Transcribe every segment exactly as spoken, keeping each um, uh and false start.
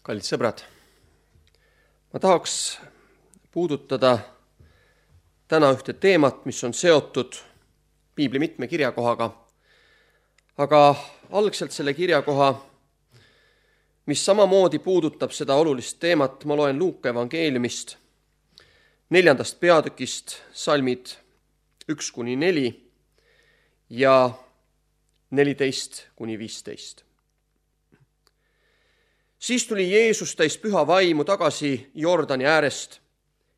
Kallid sõbrad, ma tahaks puudutada täna ühte teemat, mis on seotud piibli mitme kirjakohaga, aga algselt selle kirjakoha, mis samamoodi puudutab seda olulist teemat, ma loen Luuka evangeeliumist, neljandast peatükist, salmid üks kuni neli ja neliteist kuni viisteist. Siis tuli Jeesus täis püha vaimu tagasi Jordani äärest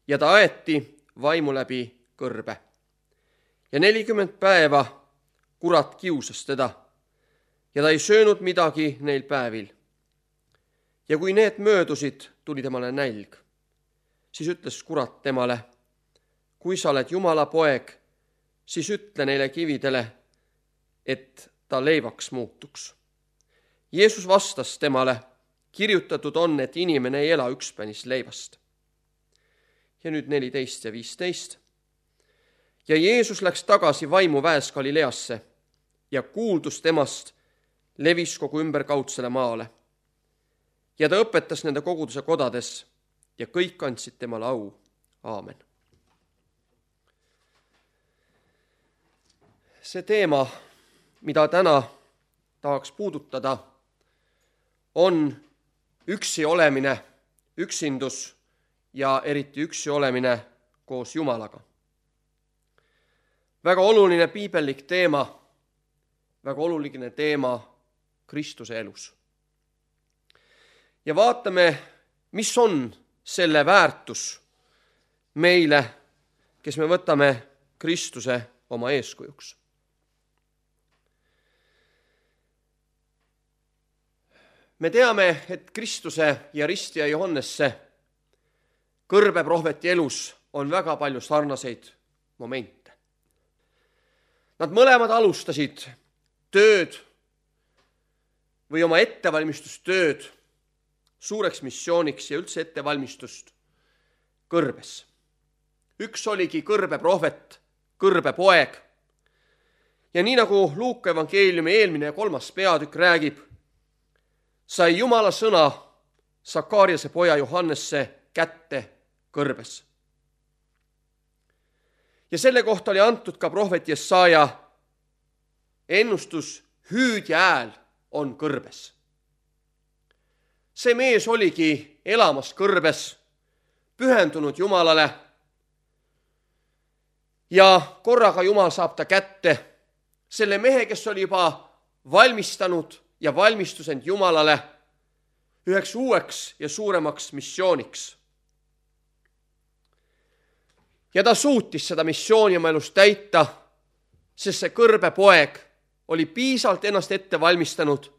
ja ta aeti vaimu läbi kõrbe. Ja nelikümmend päeva kurat kiusas teda ja ta ei söönud midagi neil päevil. Ja kui need möödusid, tuli temale nälg. Siis ütles kurat temale, kui sa oled Jumala poeg, siis ütle neile kividele, et ta leivaks muutuks. Jeesus vastas temale, kirjutatud on, et inimene ei ela ükspänis leivast. Ja nüüd neliteist ja viisteist. Ja Jeesus läks tagasi vaimuväes Galileasse ja kuuldus temast levis kogu ümberkaudsele maale. Ja ta õpetas nende koguduse kodades ja kõik andsid temale au. Aamen. See teema, mida täna tahaks puudutada, on üksi olemine, üksindus ja eriti üksi olemine koos Jumalaga. Väga oluline piibellik teema, väga oluline teema Kristuse elus. Ja vaatame, mis on selle väärtus meile, kes me võtame Kristuse oma eeskujuks. Me teame, et Kristuse ja ristija Johannesse kõrbeprohveti elus on väga palju sarnaseid momente. Nad mõlemad alustasid tööd või oma ettevalmistustööd suureks missiooniks ja üldse ettevalmistust kõrbes. Üks oligi kõrbeprohvet, kõrbepoeg. Ja nii nagu Luuka evangeeliumi eelmine ja kolmas peatükk räägib, sai Jumala sõna Sakariase poja Johannesse kätte kõrbes. Ja selle kohta oli antud ka prohvet Jesaja ennustus, hüüdja hääl on kõrbes. See mees oligi elamas kõrbes, pühendunud Jumalale ja korraga Jumal saab ta kätte, selle mehe, kes oli juba valmistanud ja valmistus end Jumalale üheks uueks ja suuremaks missiooniks. Ja ta suutis seda missiooni oma elus täita, sest see kõrbepoeg oli piisavalt ennast ette valmistanud,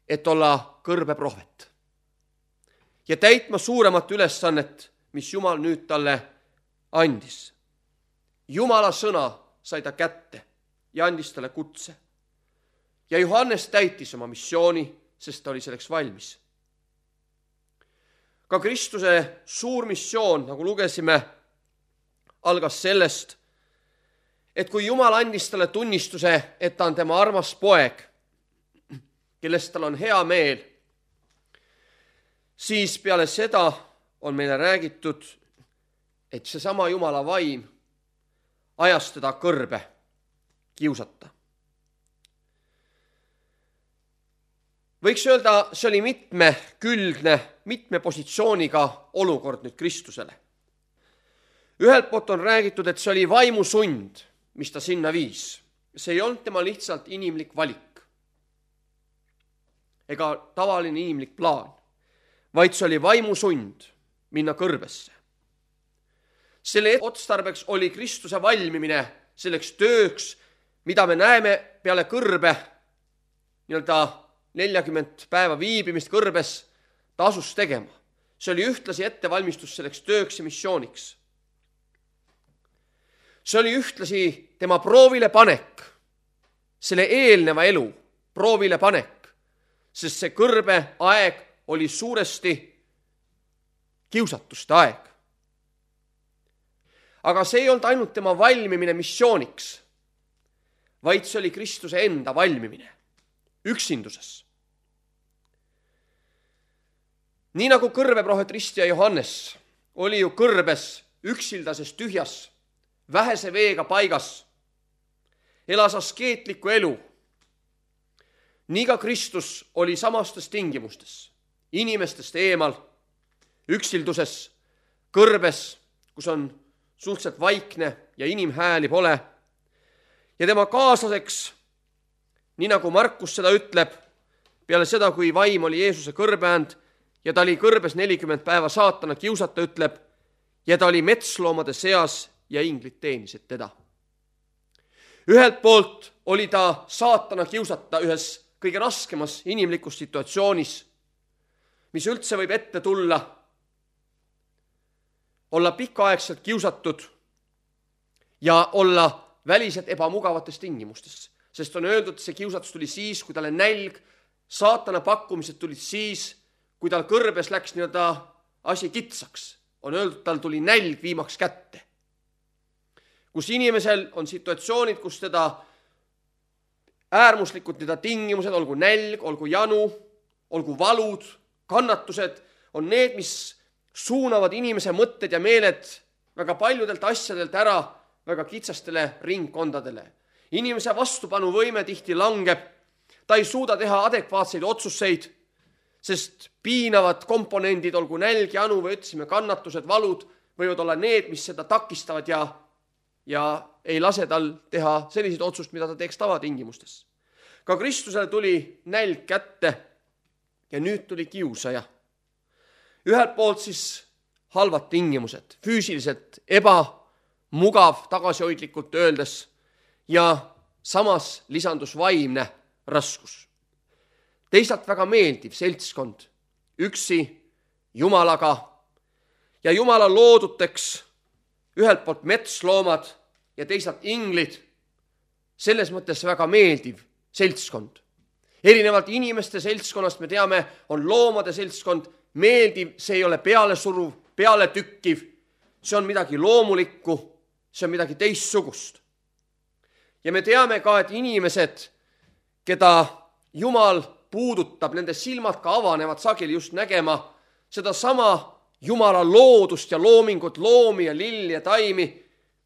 et olla kõrbeprohvet. Ja täitma suuremat ülesannet, mis Jumal nüüd talle andis. Jumala sõna sai ta kätte ja andis talle kutse. Ja Johannes täitis oma missiooni, sest ta oli selleks valmis. Ka Kristuse suur missioon, nagu lugesime, algas sellest, et kui Jumal andis talle tunnistuse, et ta on tema armas poeg, kellest tal on hea meel, siis peale seda on meile räägitud, et seesama Jumala vaim ajas teda kõrbe kiusata. Võiks öelda, see oli mitmekülgne, mitme positsiooniga olukord nüüd Kristusele. Ühelt poolt on räägitud, et see oli vaimusund, mis ta sinna viis. See ei olnud tema lihtsalt inimlik valik ega tavaline inimlik plaan, vaid see oli vaimusund minna kõrbesse. Selle otstarbeks oli Kristuse valmimine selleks tööks, mida me näeme peale kõrbe, nii-öelda neljakümmend päeva viibimist kõrbes, ta asus tegema. See oli ühtlasi ettevalmistus selleks tööks ja missiooniks. See oli ühtlasi tema proovile panek, selle eelneva elu proovile panek, sest see kõrbe aeg oli suuresti kiusatuste aeg. Aga see ei olnud ainult tema valmimine missiooniks, vaid see oli Kristuse enda valmimine üksinduses. Nii nagu kõrbeprohvet Ristja Johannes oli ju kõrbes üksildases tühjas, vähese veega paigas, elas askeetlikku elu. Nii ka Kristus oli samastes tingimustes, inimestest eemal, üksilduses, kõrbes, kus on suhteliselt vaikne ja inimhääli pole. Ja tema kaaslaseks, nii nagu Markus seda ütleb, peale seda, kui vaim oli Jeesuse kõrbeänd ja ta oli kõrbes nelikümmend päeva saatana kiusata, ütleb, ja ta oli metsloomade seas ja inglid teenisid teda. Ühelt poolt oli ta saatana kiusata ühes kõige raskemas inimlikus situatsioonis, mis üldse võib ette tulla, olla pikaaegselt kiusatud ja olla väliselt ebamugavates tingimustes. Sest on öeldud, et see kiusatus tuli siis, kui talle nälg, saatana pakkumised tulid siis, kui tal kõrbes läks nii-öelda asi kitsaks. On öeldud, tal tuli nälg viimaks kätte. Kus inimesel on situatsioonid, kus teda äärmuslikud teda tingimused, olgu nälg, olgu janu, olgu valud, kannatused, on need, mis suunavad inimese mõtted ja meeled väga paljudelt asjadelt ära väga kitsastele ringkondadele. Inimese vastupanuvõime tihti langeb, ta ei suuda teha adekvaatseid otsuseid, sest piinavad komponendid, olgu nälg, janu või ütlesime kannatused, valud, võivad olla need, mis seda takistavad ja, ja ei lase tal teha selliseid otsust, mida ta teeks tavatingimustes. Ka Kristusele tuli nälg kätte ja nüüd tuli kiusaja. Ühelt poolt siis halvad tingimused, füüsiliselt ebamugav, tagasihoidlikult öeldes, ja samas lisandus vaimne raskus. Teisalt väga meeldiv seltskond, üksi Jumalaga ja Jumala looduteks ühelt poolt metsloomad ja teisalt inglid, selles mõttes väga meeldiv seltskond. Erinevalt inimeste seltskonnast me teame, on loomade seltskond meeldiv, see ei ole pealesuruv, peale tükkiv, see on midagi loomulikku, see on midagi teistsugust. Ja me teame ka, et inimesed, keda Jumal puudutab, nende silmad ka avanevad sageli just nägema seda sama Jumala loodust ja loomingut, loomi ja lilli ja taimi,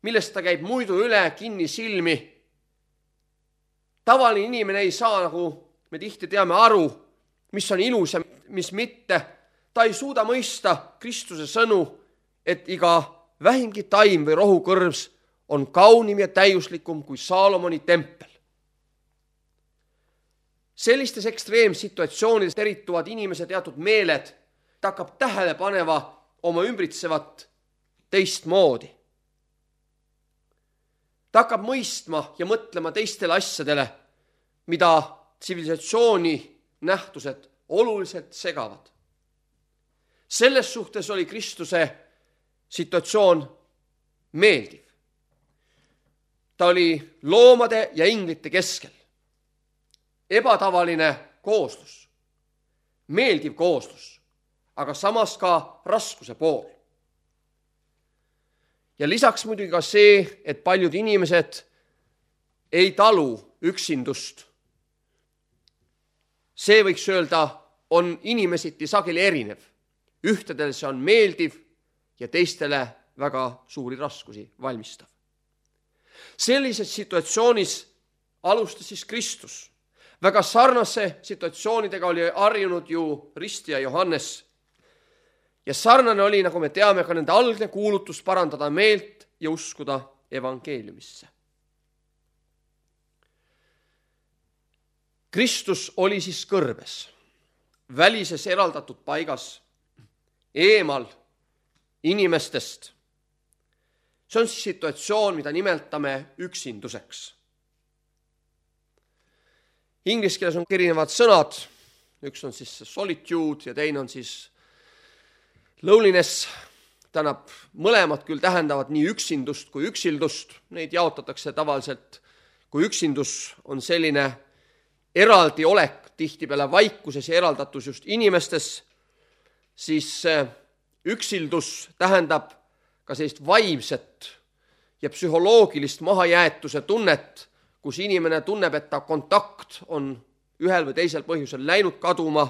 millest ta käib muidu üle kinni silmi. Tavaline inimene ei saa, nagu me tihti teame, aru, mis on ilus ja mis mitte. Ta ei suuda mõista Kristuse sõnu, et iga vähimgi taim või rohukõrvs on kaunim ja täiuslikum kui Saalomoni tempel. Sellistes ekstreemsituatsioonides erituvad inimese teatud meeled, ta hakkab tähele paneva oma ümbritsevat teistmoodi. Ta hakkab mõistma ja mõtlema teistele asjadele, mida tsivilisatsiooni nähtused oluliselt segavad. Selles suhtes oli Kristuse situatsioon meeldiv. Ta oli loomade ja inglite keskel. Ebatavaline kooslus, meeldiv kooslus, aga samas ka raskuse pool. Ja lisaks muidugi ka see, et paljud inimesed ei talu üksindust. See võiks öelda, on inimesiti sageli erinev. Ühtedel see on meeldiv ja teistele väga suuri raskusi valmistav. Sellises situatsioonis alustas siis Kristus. Väga sarnase situatsioonidega oli harjunud ju Ristja Johannes. Ja sarnane oli, nagu me teame, ka nende algne kuulutus parandada meelt ja uskuda evangeeliumisse. Kristus oli siis kõrbes, välises eraldatud paigas, eemal inimestest. See on siis situatsioon, mida nimetame üksinduseks. Inglise keeles on erinevad sõnad, üks on siis solitude ja teine on siis loneliness, tähendab, mõlemad küll tähendavad nii üksindust kui üksildust, neid jaotatakse tavaliselt, kui üksindus on selline eraldi olek, tihtipeale vaikuses ja eraldatus just inimestes, siis üksildus tähendab ka sellist vaimset ja psühholoogilist mahajäetuse tunnet, kus inimene tunneb, et ta kontakt on ühel või teisel põhjusel läinud kaduma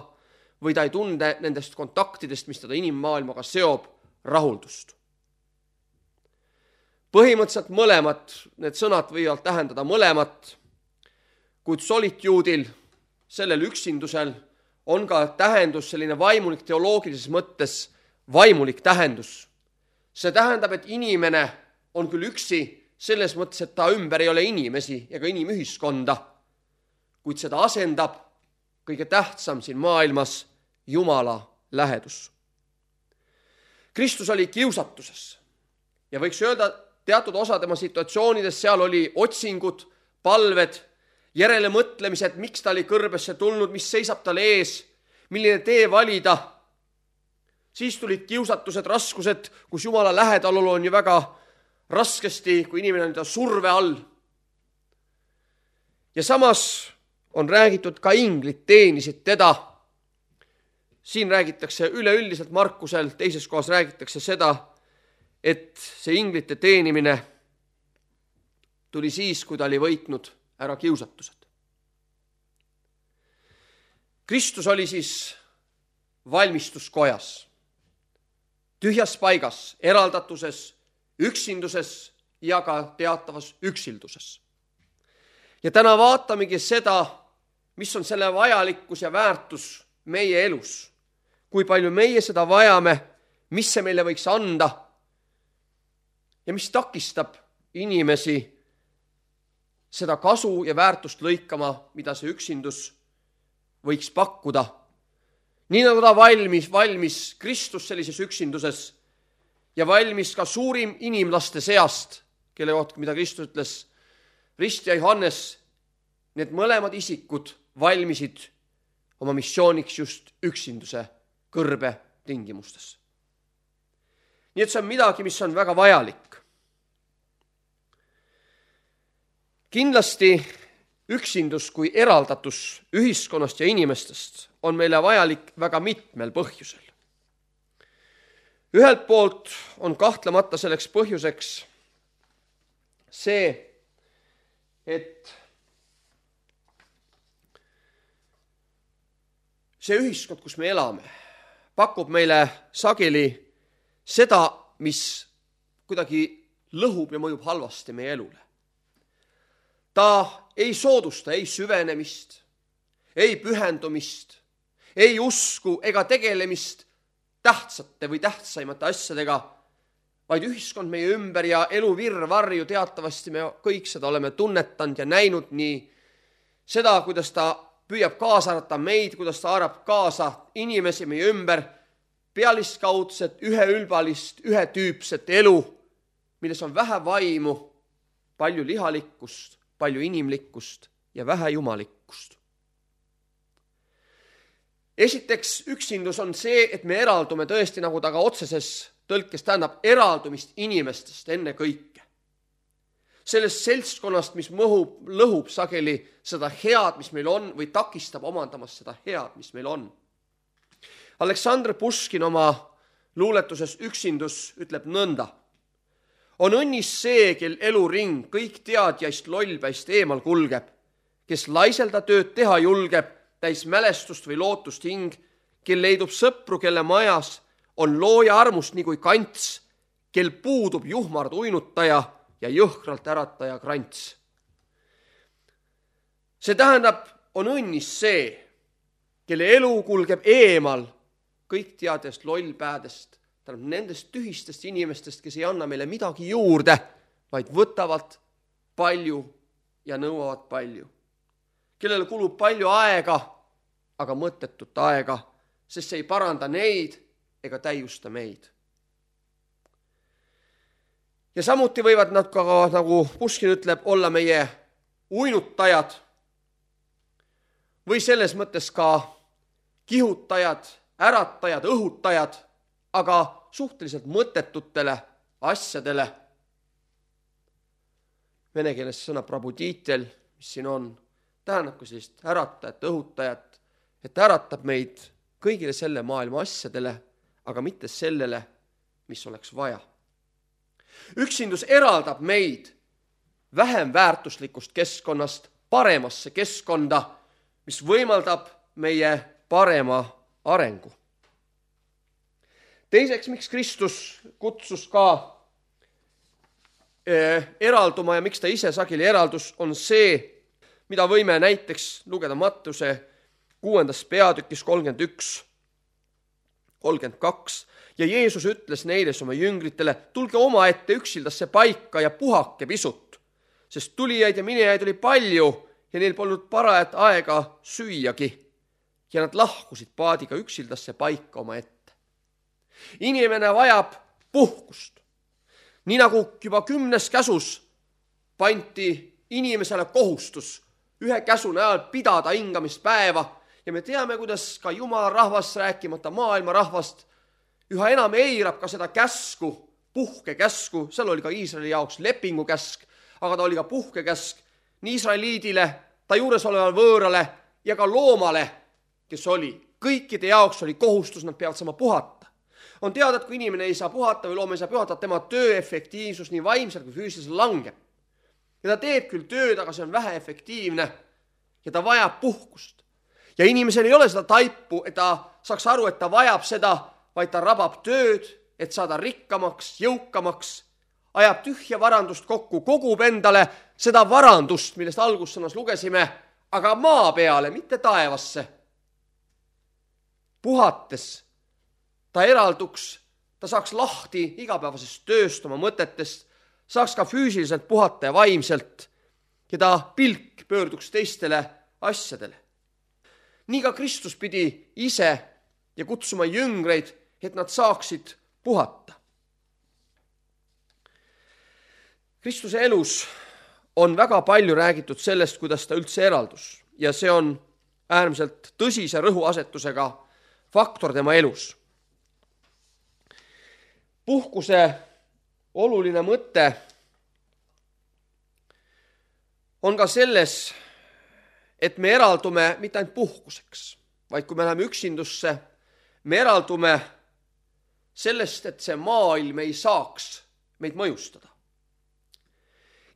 või ta ei tunde nendest kontaktidest, mis teda inimmaailmaga seob, rahuldust. Põhimõtteliselt mõlemad, need sõnad võivad tähendada mõlemat, kuid solituudil, sellel üksindusel, on ka tähendus, selline vaimulik teoloogilises mõttes vaimulik tähendus. See tähendab, et inimene on küll üksi selles mõttes, et ta ümber ei ole inimesi ja ka inimühiskonda, kuid seda asendab kõige tähtsam siin maailmas Jumala lähedus. Kristus oli kiusatuses ja võiks öelda, teatud osa tema situatsioonides seal oli otsingud, palved, järele mõtlemised, miks ta oli kõrbesse tulnud, mis seisab tal ees, milline tee valida. Siis tulid kiusatused, raskused, kus Jumala lähedalolu on ju väga raskesti, kui inimene on ta surve all. Ja samas on räägitud ka inglid teenisid teda. Siin räägitakse üleüldiselt Markusel, teises kohas räägitakse seda, et see inglite teenimine tuli siis, kui ta oli võitnud ära kiusatused. Kristus oli siis valmistuskojas, tühjas paigas, eraldatuses, üksinduses ja ka teatavas üksilduses. Ja täna vaatamegi seda, mis on selle vajalikkus ja väärtus meie elus. Kui palju meie seda vajame, mis see meile võiks anda ja mis takistab inimesi seda kasu ja väärtust lõikama, mida see üksindus võiks pakkuda. Nii nagu ta valmis, valmis Kristus sellises üksinduses ja valmis ka suurim inimlaste seast, kelle kohta, mida Kristus ütles, Rist ja Johannes, need mõlemad isikud valmisid oma missiooniks just üksinduse kõrbe tingimustes. Nii et see on midagi, mis on väga vajalik. Kindlasti üksindus kui eraldatus ühiskonnast ja inimestest on meile vajalik väga mitmel põhjusel. Ühelt poolt on kahtlemata selleks põhjuseks see, et see ühiskond, kus me elame, pakub meile sageli seda, mis kuidagi lõhub ja mõjub halvasti meie elule. Ta ei soodusta ei süvenemist, ei pühendumist, ei usku ega tegelemist tähtsate või tähtsaimate asjadega, vaid ühiskond meie ümber ja elu virvarju teatavasti me kõik seda oleme tunnetanud ja näinud nii seda, kuidas ta püüab kaasa arvata meid, kuidas ta arvab kaasa inimesi meie ümber, pealiskaudset, üheülbalist, ühetüüpset elu, milles on vähe vaimu, palju lihalikkust, palju inimlikkust ja vähe jumalikkust. Esiteks, üksindus on see, et me eraldume tõesti, nagu ta ka otseses tõlkes tähendab, eraldumist inimestest enne kõike. Sellest seltskonnast, mis mõhub, lõhub sageli seda head, mis meil on, või takistab omandamas seda head, mis meil on. Aleksandr Puškin oma luuletuses Üksindus ütleb nõnda. On õnnis see, kel eluring kõik teadjaist lollpäist eemal kulgeb, kes laiselda tööd teha julgeb, täis mälestust või lootust hing, kel leidub sõpru, kelle majas on looja armust nii kui kants, kel puudub juhmard uinutaja ja jõhkralt ärataja krants. See tähendab, on õnnis see, kelle elu kulgeb eemal kõik teadjast lollpäädest, tähendab nendest tühistest inimestest, kes ei anna meile midagi juurde, vaid võtavad palju ja nõuavad palju. Kellele kulub palju aega, aga mõttetut aega, sest see ei paranda neid ega täiusta meid. Ja samuti võivad nad ka, nagu Puškin ütleb, olla meie uinutajad või selles mõttes ka kihutajad, äratajad, õhutajad, aga suhteliselt mõttetutele asjadele. Vene keeles sõna prabuditiel, mis siin on, tähendab ka sellist äratajat, õhutajat, et äratab meid kõigile selle maailma asjadele, aga mitte sellele, mis oleks vaja. Üksindus eraldab meid vähem väärtuslikust keskkonnast paremasse keskkonda, mis võimaldab meie parema arengu. Teiseks, miks Kristus kutsus ka eralduma ja miks ta ise sageli eraldus, on see, mida võime näiteks lugeda Mattuse kuuendas peatükis kolmkümmend üks, kolmkümmend kaks. Ja Jeesus ütles neile oma jüngritele, tulge omaette üksildasse paika ja puhake pisut, sest tulijaid ja minejaid oli palju ja neil polnud parajat aega süüagi. Ja nad lahkusid paadiga üksildasse paika oma ette. Inimene vajab puhkust. Nii nagu juba kümnes käsus pandi inimesele kohustus ühe käsu näol pidada hingamispäeva ja me teame, kuidas ka Jumala rahvas, rääkimata maailma rahvast, üha enam eirab ka seda käsku, puhkekäsku, seal oli ka Iisraeli jaoks lepingukäsk, aga ta oli ka puhkekäsk nii Iisraeliidile, ta juures olevale võõrale ja ka loomale, kes oli. Kõikide jaoks oli kohustus, nad peavad saama puhata. On teada, et kui inimene ei saa puhata või loom ei saa puhata, tema töö efektiivsus nii vaimselt kui füüsiliselt langeb. Ja ta teeb küll tööd, aga see on vähe efektiivne ja ta vajab puhkust. Ja inimesel ei ole seda taipu, et ta saaks aru, et ta vajab seda, vaid ta rabab tööd, et saada rikkamaks, jõukamaks, ajab tühja varandust kokku, kogub endale seda varandust, millest algussõnas lugesime, aga maa peale, mitte taevasse. Puhates ta eralduks, ta saaks lahti igapäevasest tööst, oma mõtetest, saaks ka füüsiliselt puhata ja vaimselt ja ta pilk pöörduks teistele asjadele. Nii ka Kristus pidi ise ja kutsuma jüngreid, et nad saaksid puhata. Kristuse elus on väga palju räägitud sellest, kuidas ta üldse eraldus ja see on äärmiselt tõsise rõhuasetusega faktor tema elus. Puhkuse oluline mõte on ka selles, et me eraldume mitte ainult puhkuseks, vaid kui me läheme üksindusse, me eraldume sellest, et see maailm ei saaks meid mõjustada.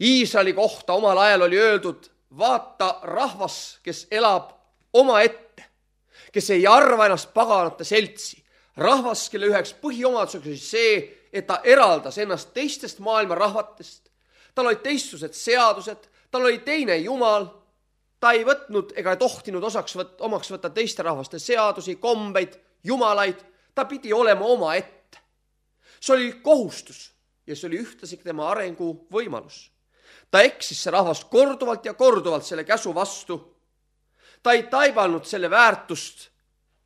Iisraeli kohta omal ajal oli öeldud, vaata rahvas, kes elab oma ette, kes ei arva ennast paganate seltsi. Rahvas, kelle üheks põhiomaduseks oli see, et ta eraldas ennast teistest maailma rahvatest. Tal olid teistsugused seadused, tal oli teine Jumal, ta ei võtnud ega tohtinud osaks võt, omaks võtta teiste rahvaste seadusi, kombeid, jumalaid, ta pidi olema oma ette. See oli kohustus ja see oli ühtlasi tema arengu võimalus. Ta eksis see rahvast korduvalt ja korduvalt selle käsu vastu. Ta ei taibanud selle väärtust,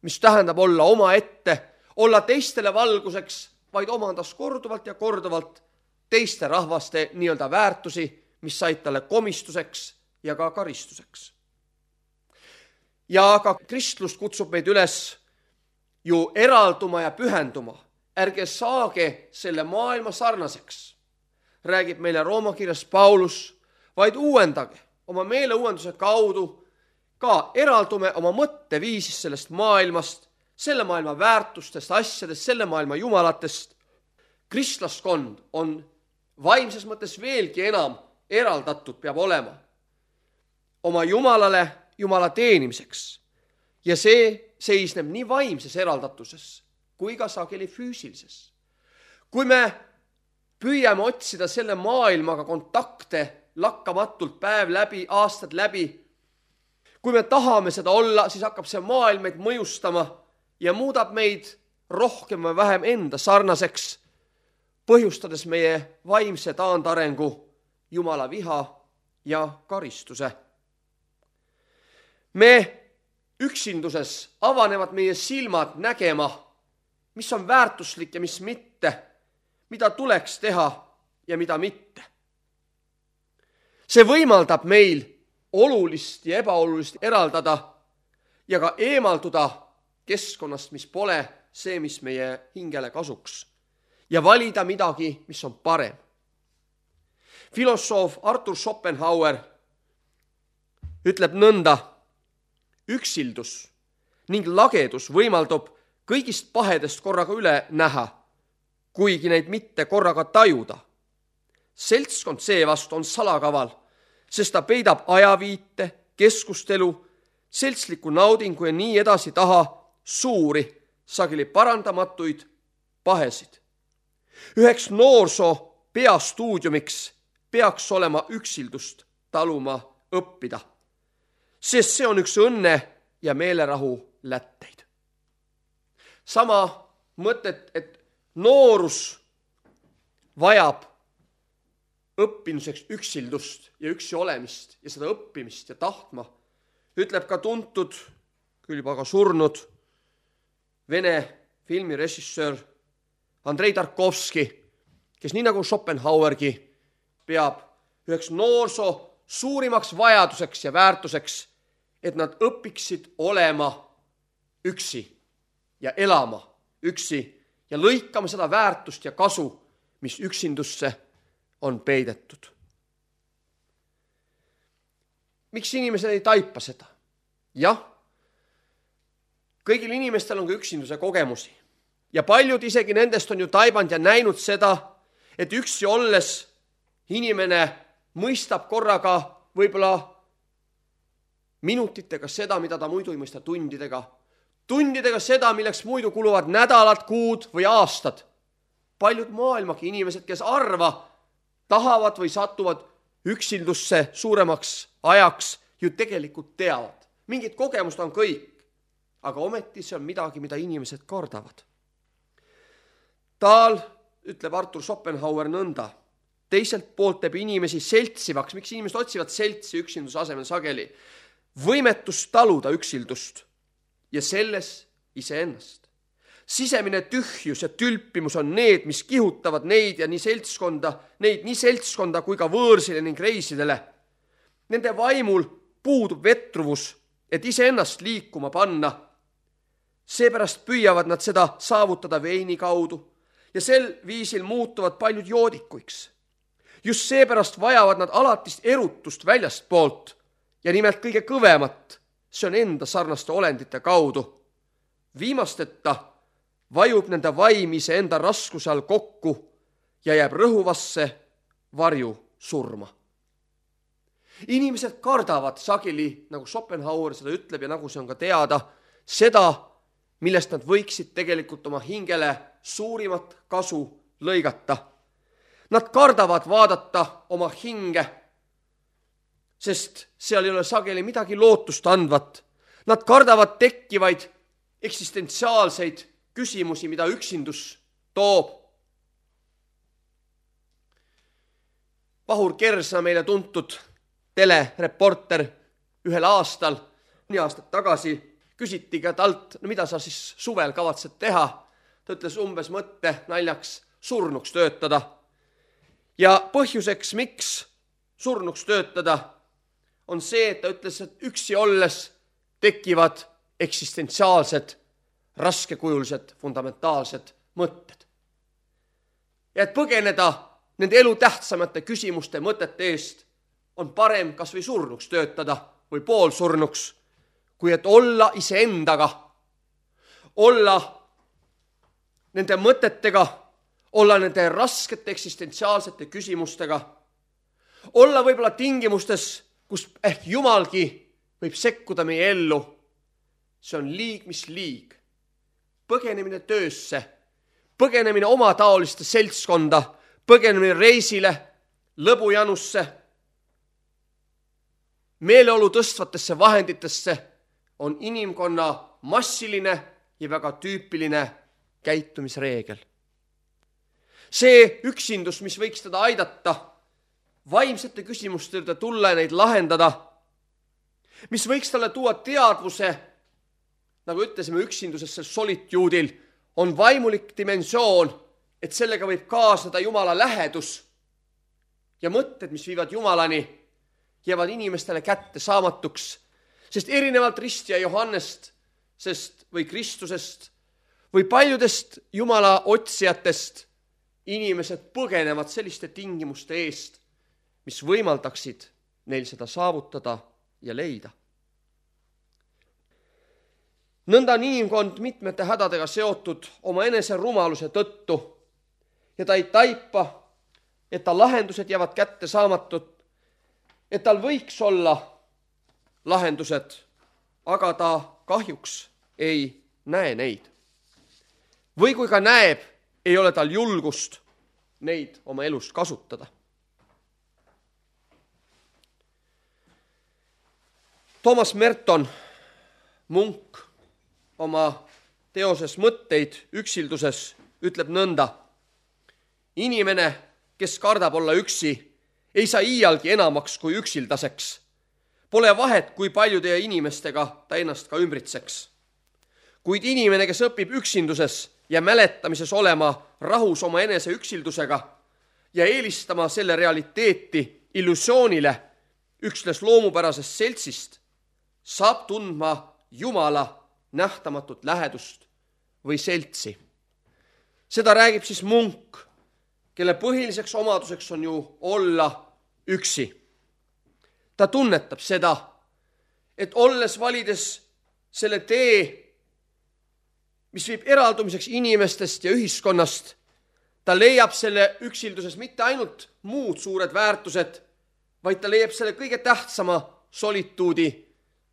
mis tähendab olla oma ette, olla teistele valguseks, vaid omandas korduvalt ja korduvalt teiste rahvaste nii-öelda väärtusi, mis said talle komistuseks ja ka karistuseks. Ja ka kristlus kutsub meid üles ju eralduma ja pühenduma. Ärge saage selle maailma sarnaseks, räägib meile Rooma kirjas Paulus, vaid uuendage oma meeleuuenduse kaudu, ka eraldume oma mõtteviisist sellest maailmast, selle maailma väärtustest, asjadest, selle maailma jumalatest. Kristlaskond on vaimses mõttes veelgi enam eraldatud peab olema oma jumalale, jumala teenimiseks. Ja see seisneb nii vaimses eraldatuses kui ka sageli füüsilises. Kui me püüame otsida selle maailmaga kontakte lakkamatult päev läbi, aastad läbi, kui me tahame seda olla, siis hakkab see maailm meid mõjustama ja muudab meid rohkem või vähem enda sarnaseks, põhjustades meie vaimse taandarengu, Jumala viha ja karistuse. Me üksinduses avanevad meie silmad nägema, mis on väärtuslik ja mis mitte, mida tuleks teha ja mida mitte. See võimaldab meil olulist ja ebaolulist eraldada ja ka eemalduda keskkonnast, mis pole see, mis meie hingele kasuks, ja valida midagi, mis on parem. Filosoof Arthur Schopenhauer ütleb nõnda, üksildus ning lagedus võimaldab kõigist pahedest korraga üle näha, kuigi neid mitte korraga tajuda. Seltskond seevastu on salakaval, sest ta peidab ajaviite, keskustelu, seltsliku naudingu ja nii edasi taha suuri, sageli parandamatuid pahesid. Üheks noorsoo peastuudiumiks peaks olema üksildust taluma õppida, sest see on üks õnne ja meelerahu lätteid. Sama mõtet, et noorus vajab õppimiseks üksildust ja üksi olemist ja seda õppimist ja tahtma, ütleb ka tuntud, küll juba ka surnud Vene filmirežissöör Andrei Tarkovski, kes nii nagu Schopenhauergi peab üheks noorsoo suurimaks vajaduseks ja väärtuseks, et nad õpiksid olema üksi ja elama üksi ja lõikama seda väärtust ja kasu, mis üksindusse on peidetud. Miks inimesed ei taipa seda? Jah, kõigil inimestel on ka üksinduse kogemusi ja paljud isegi nendest on ju taibanud ja näinud seda, et üksi olles inimene mõistab korraga võib-olla minutitega seda, mida ta muidu ei mõista tundidega. Tundidega seda, milleks muidu kuluvad nädalad, kuud või aastad. Paljud maailmagi inimesed, kes arva, tahavad või satuvad üksildusse suuremaks ajaks, ju tegelikult teavad. Mingid kogemust on kõik, aga ometi see on midagi, mida inimesed kardavad. Taal, ütleb Arthur Schopenhauer nõnda, teiselt poolt teeb inimesi seltsivaks, miks inimesed otsivad seltsi üksinduse asemel sageli, võimetust taluda üksildust ja selles iseennast. Sisemine tühjus ja tülpimus on need, mis kihutavad neid ja nii seltskonda, neid nii seltskonda kui ka võõrsile ning reisidele. Nende vaimul puudub vetruvus, et iseennast liikuma panna. Seepärast püüavad nad seda saavutada veini kaudu ja sel viisil muutuvad paljud joodikuiks. Just seepärast vajavad nad alatist erutust väljast poolt ja nimelt kõige kõvemat, see on enda sarnaste olendite kaudu. Viimasteta vajub nende vaim iseenda raskuse all kokku ja jääb rõhuvasse varju surma. Inimesed kardavad sageli, nagu Schopenhauer seda ütleb ja nagu see on ka teada, seda, millest nad võiksid tegelikult oma hingele suurimat kasu lõigata. Nad kardavad vaadata oma hinge, sest seal ei ole sageli midagi lootust andvat. Nad kardavad tekkivaid eksistentsiaalseid küsimusi, mida üksindus toob. Vahur Kersna, meile tuntud telereporter, ühel aastal, nii aastat tagasi, küsiti ka talt, no mida sa siis suvel kavatsed teha. Ta ütles umbes mõtte naljaks surnuks töötada. Ja põhjuseks, miks surnuks töötada, on see, et ta ütles, et üksi olles tekivad eksistentsiaalsed, raskekujulised, fundamentaalsed mõtted. Ja et põgeneda nende elu tähtsamate küsimuste mõtete eest, on parem kas või surnuks töötada või poolsurnuks, kui et olla iseendaga, olla nende mõtetega, olla nende raskete eksistentsiaalsete küsimustega, olla võib-olla tingimustes, kus ehk Jumalgi võib sekkuda meie ellu. See on liig, mis liig. Põgenemine töösse, põgenemine oma taoliste seltskonda, põgenemine reisile, lõbujanusse, meeleolu tõstvatesse vahenditesse on inimkonna massiline ja väga tüüpiline käitumisreegel. See üksindus, mis võiks teda aidata, vaimsete küsimuste juurde tulla ja neid lahendada, mis võiks talle tuua teadvuse, nagu ütlesime üksinduses sel solituudil, on vaimulik dimensioon, et sellega võib kaasneda Jumala lähedus ja mõtted, mis viivad Jumalani, jäävad inimestele kätte saamatuks, sest erinevalt ristja Johannest sest, või Kristusest või paljudest Jumala otsijatest inimesed põgenevad selliste tingimuste eest, mis võimaldaksid neil seda saavutada ja leida. Nõnda on inimkond mitmete hädadega seotud oma enese rumaluse tõttu ja ta ei taipa, et ta lahendused jäävad kätte saamatud, et tal võiks olla lahendused, aga ta kahjuks ei näe neid. Või kui ka näeb, ei ole tal julgust neid oma elust kasutada. Toomas Merton, munk, oma teoses Mõtteid üksilduses ütleb nõnda. Inimene, kes kardab olla üksi, ei saa iialgi enamaks kui üksildaseks. Pole vahet, kui paljude inimestega ta ennast ka ümbritseks. Kuid inimene, kes õpib üksinduses ja mäletamises olema rahus oma enese üksildusega ja eelistama selle realiteeti illusioonile üksnes loomupärasest seltsist, saab tundma Jumala nähtamatut lähedust või seltsi. Seda räägib siis munk, kelle põhiliseks omaduseks on ju olla üksi. Ta tunnetab seda, et olles valides selle tee, mis viib eraldumiseks inimestest ja ühiskonnast, ta leiab selle üksilduses mitte ainult muud suured väärtused, vaid ta leiab selle kõige tähtsama solituudi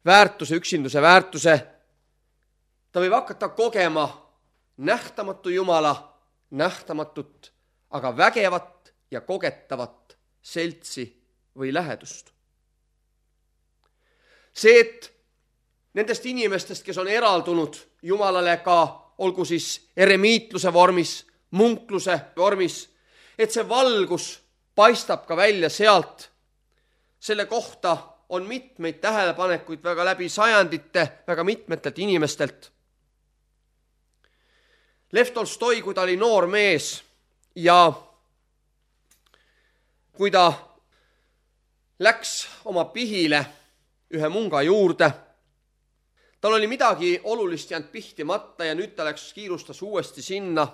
väärtuse, üksinduse väärtuse. Ta võib hakata kogema nähtamatu Jumala, nähtamatut, aga vägevat ja kogetavat seltsi või lähedust. See, et nendest inimestest, kes on eraldunud Jumalale ka, olgu siis eremiitluse vormis, munkluse vormis, et see valgus paistab ka välja sealt. Selle kohta on mitmeid tähelepanekuid väga läbi sajandite, väga mitmetelt inimestelt. Lev Tolstoi, kui ta oli noor mees ja kui ta läks oma pihile ühe munga juurde, tal oli midagi olulist jäänud pihtimata ja nüüd ta läks kiirustas uuesti sinna.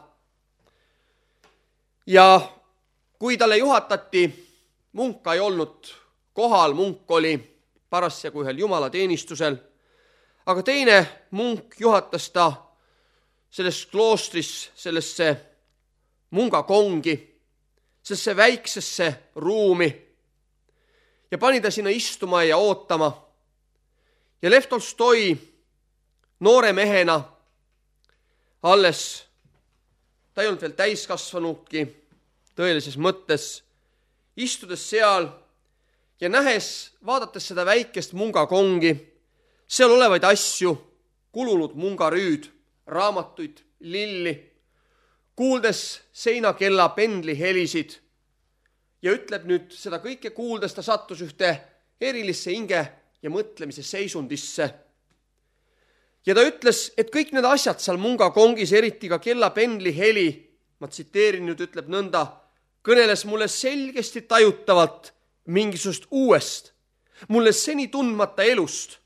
Ja kui talle juhatati, munka ei olnud kohal, munk oli parasjagu ühel jumalateenistusel, aga teine munk juhatas ta selles kloostris, sellesse mungakongi, sellesse väiksesse ruumi ja pani ta sinna istuma ja ootama. Ja Lev Tolstoi noore mehena, alles ta ei olnud veel täiskasvanudki tõelises mõttes, istudes seal ja nähes, vaadates seda väikest mungakongi, seal olevaid asju, kulunud mungarüüd, raamatuid, lilli, kuuldes seinakella pendli helisid ja ütleb nüüd seda kõike kuuldes, ta sattus ühte erilisse hinge ja mõtlemise seisundisse. Ja ta ütles, et kõik need asjad seal mungakongis, eriti ka kellapendli heli, ma tsiteerin nüüd, ütleb nõnda, kõneles mulle selgesti tajutavalt mingisugust uuest, mulle seni tundmata elust,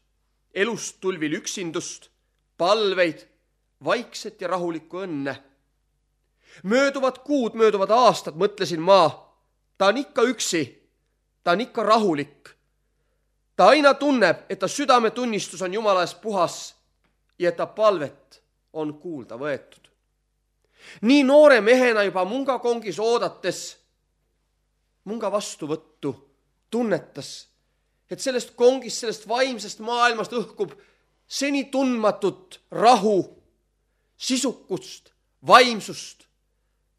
elust tulvil üksindust, palveid, vaikset ja rahulikku õnne. Mööduvad kuud, mööduvad aastad, mõtlesin ma, ta on ikka üksi, ta on ikka rahulik. Ta aina tunneb, et ta südametunnistus on Jumala ees puhas ja et ta palvet on kuulda võetud. Nii noore mehena juba mungakongis oodates munga vastuvõttu tunnetas, et sellest kongist, sellest vaimsest maailmast õhkub seni tundmatut rahu, sisukust, vaimsust,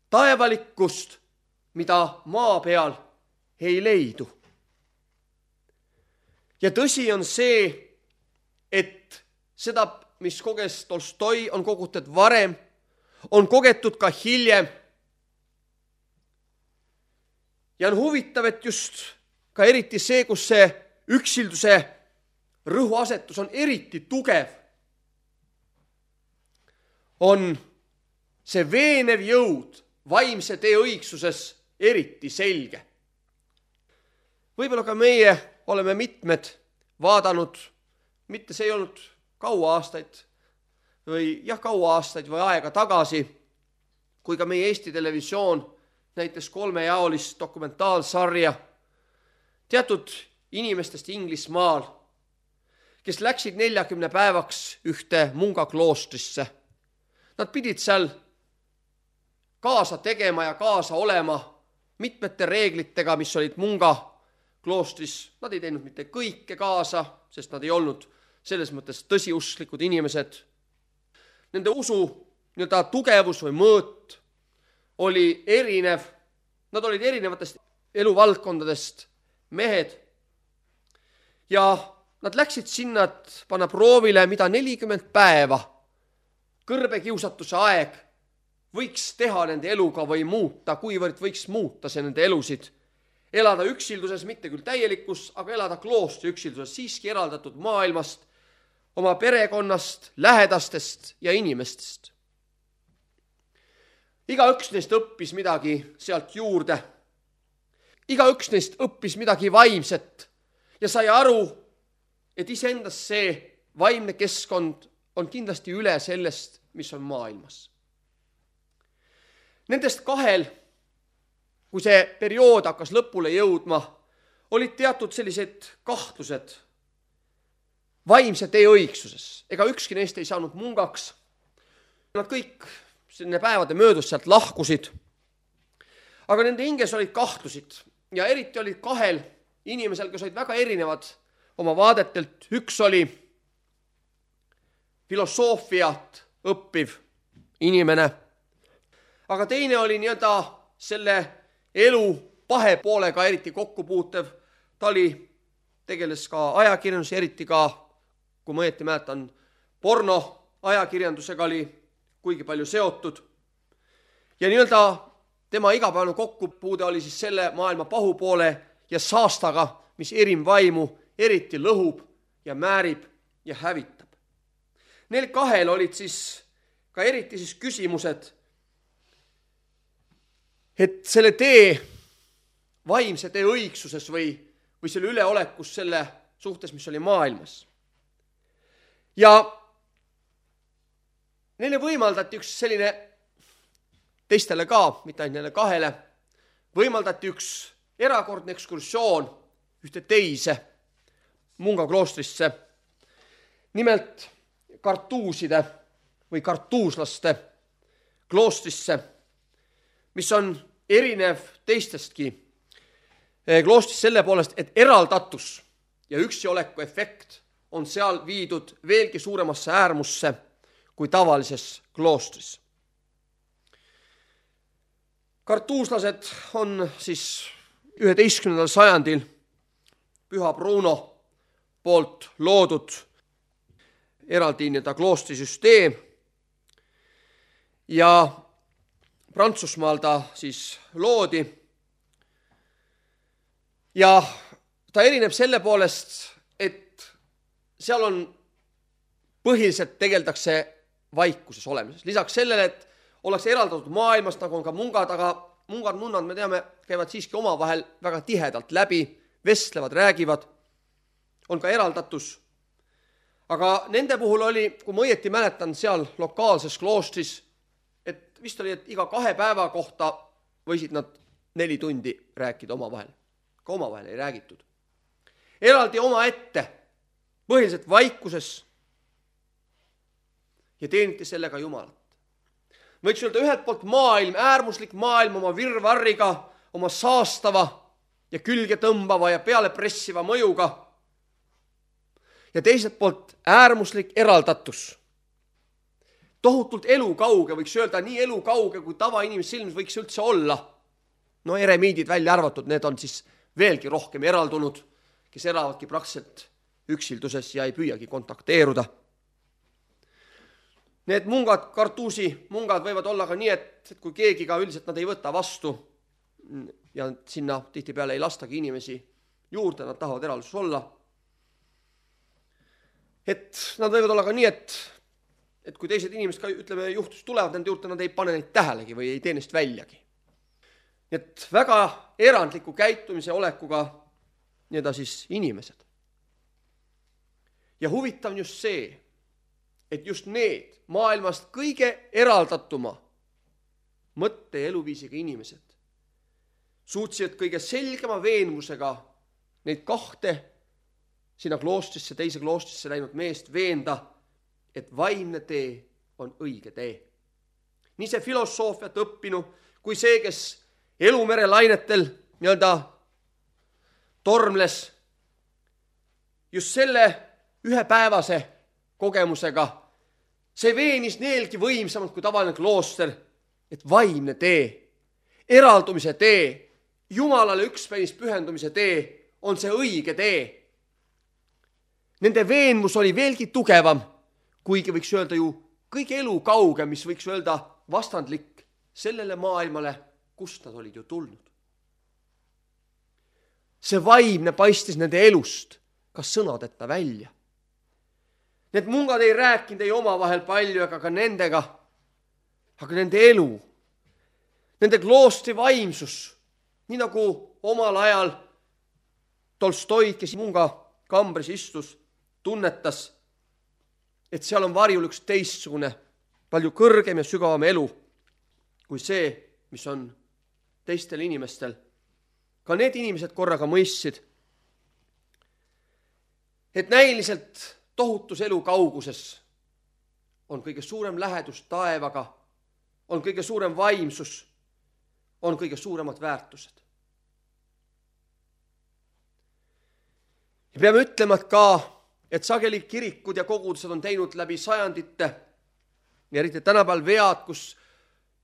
taevalikkust, mida maa peal ei leidu. Ja tõsi on see, et seda, mis koges Tolstoi, on kogutud varem, on kogetud ka hiljem. Ja on huvitav, et just ka eriti see, kus see üksilduse rõhuasetus on eriti tugev, on see veenev jõud vaimse tee õigsuses eriti selge. Võib-olla ka meie oleme mitmed vaadanud, mitte see ei olnud kaua aastaid või jah, kaua aastaid või aega tagasi, kui ka meie Eesti Televisioon näitas kolmejaolist dokumentaalsarja teatud inimestest Inglismaal, kes läksid neljakümne päevaks ühte mungakloostrisse. Nad pidid seal kaasa tegema ja kaasa olema mitmete reeglitega, mis olid munga kloostris. Nad ei teinud mitte kõike kaasa, sest nad ei olnud selles mõttes tõsiusklikud inimesed. nende usu nii-öelda tugevus või mõõt oli erinev. Nad olid erinevatest eluvaldkondadest mehed ja nad läksid sinna, et panna proovile, mida nelikümmend päeva kõrbekiusatuse aeg võiks teha nende eluga või muuta, kuivõrd võiks muuta see nende elusid. Elada üksilduses, mitte küll täielikus, aga elada kloostri üksilduses, siiski eraldatud maailmast, oma perekonnast, lähedastest ja inimestest. Igaüks neist õppis midagi sealt juurde. Igaüks neist õppis midagi vaimset ja sai aru, et iseendas see vaimne keskkond on kindlasti üle sellest, mis on maailmas. Nendest kahel, kui see periood hakkas lõpule jõudma, olid teatud sellised kahtlused vaimse tee õigsuses. Ega ükski neist ei saanud mungaks. Nad kõik selline päevade möödus sealt lahkusid. Aga nende hinges olid kahtlusid ja eriti olid kahel inimesel, kes olid väga erinevad oma vaadetelt. Üks oli filosoofiat õppiv inimene, aga teine oli nii-öelda selle elu pahe poolega eriti kokkupuutev. Ta oli, tegeles ka ajakirjandus, eriti ka, kui ma õieti mäletan, porno ajakirjandusega oli kuigi palju seotud. Ja nii-öelda tema igapäevane kokkupuude oli siis selle maailma pahupoole ja saastaga, mis erimvaimu eriti lõhub ja määrib ja hävitab. Neil kahel olid siis ka eriti siis küsimused, et selle tee, vaimse tee õigsuses või, või selle üleolekus selle suhtes, mis oli maailmas. Ja neile võimaldati üks selline, teistele ka, mitte ainult neile kahele, võimaldati üks erakordne ekskursioon ühte teise munga kloostrisse, nimelt kartuuside või kartuuslaste kloostrisse, mis on erinev teistestki kloostris selle poolest, et eraldatus ja üksi-oleku efekt on seal viidud veelgi suuremasse äärmusse kui tavalises kloostris. Kartuuslased on siis üheteistkümnendal sajandil Püha Bruno poolt loodud eraldi nii-öelda kloostrisüsteem ja Prantsusmaal ta siis loodi ja ta erineb selle poolest, et seal on põhiliselt tegeldakse vaikuses olemises. Lisaks sellele, et ollakse eraldatud maailmast, nagu on ka mungad, aga mungad, nunnad, me teame, käivad siiski omavahel väga tihedalt läbi, vestlevad, räägivad, on ka eraldatus. Aga nende puhul oli, kui ma õieti mäletan, seal lokaalses kloostris, et vist oli, et iga kahe päeva kohta võisid nad neli tundi rääkida omavahel. Ka omavahel ei räägitud. Eraldi oma ette, põhiliselt vaikuses ja teeniti sellega Jumalat. Võiks öelda ühelt poolt maailm, äärmuslik maailm oma virvarriga, oma saastava ja külge tõmbava ja peale pressiva mõjuga. Ja teiselt poolt äärmuslik eraldatus. Tohutult elukauge, võiks öelda nii elukauge, kui tavainimese silmis võiks üldse olla. No eremiidid välja arvatud, need on siis veelgi rohkem eraldunud, kes elavadki praktiliselt üksilduses ja ei püüagi kontakteeruda. Need mungad, kartuusi mungad võivad olla ka nii, et, et kui keegi ka üldiselt nad ei võta vastu ja sinna tihtipeale ei lastagi inimesi juurde, nad tahavad eralduses olla. Et nad võivad olla ka nii, et, et kui teised inimesed ka, ütleme, juhtus tulevad nende juurde, nad ei pane neid tähelegi või ei tee neist väljagi. Et väga erandliku käitumise olekuga nii-öelda siis inimesed. Ja huvitav on just see, et just need maailmast kõige eraldatuma mõtte ja eluviisiga inimesed suutsivad kõige selgema veenmusega neid kahte sinna kloostrisse, teise kloostrisse läinud meest veenda, et vaimne tee on õige tee. Nii see filosoofiat õppinu, kui see, kes elumere lainetel nii-öelda tormles just selle ühepäevase kogemusega see veenis neelgi võimsamalt kui tavaline klooster, et vaimne tee, eraldumise tee, Jumalale ükspäis pühendumise tee on see õige tee. Nende veenmus oli veelgi tugevam, kuigi võiks öelda ju kõige elu kaugem, mis võiks öelda vastandlik sellele maailmale, kust nad olid ju tulnud. See vaimne paistis nende elust ka sõnadeta välja. Need mungad ei rääkinud ei omavahel palju ega ka nendega, aga nende elu, nende kloostri vaimsus, nii nagu omal ajal Tolstoi, kes munga kambris istus, tunnetas, et seal on varjul üks teistsugune, palju kõrgem ja sügavam elu kui see, mis on teistel inimestel. Ka need inimesed korraga mõistsid, et näiliselt tohutus elu kauguses on kõige suurem lähedus taevaga, on kõige suurem vaimsus, on kõige suuremad väärtused. Ja peame ütlema ka, et sageli kirikud ja kogudused on teinud läbi sajandite ja eriti tänapäeval vead, kus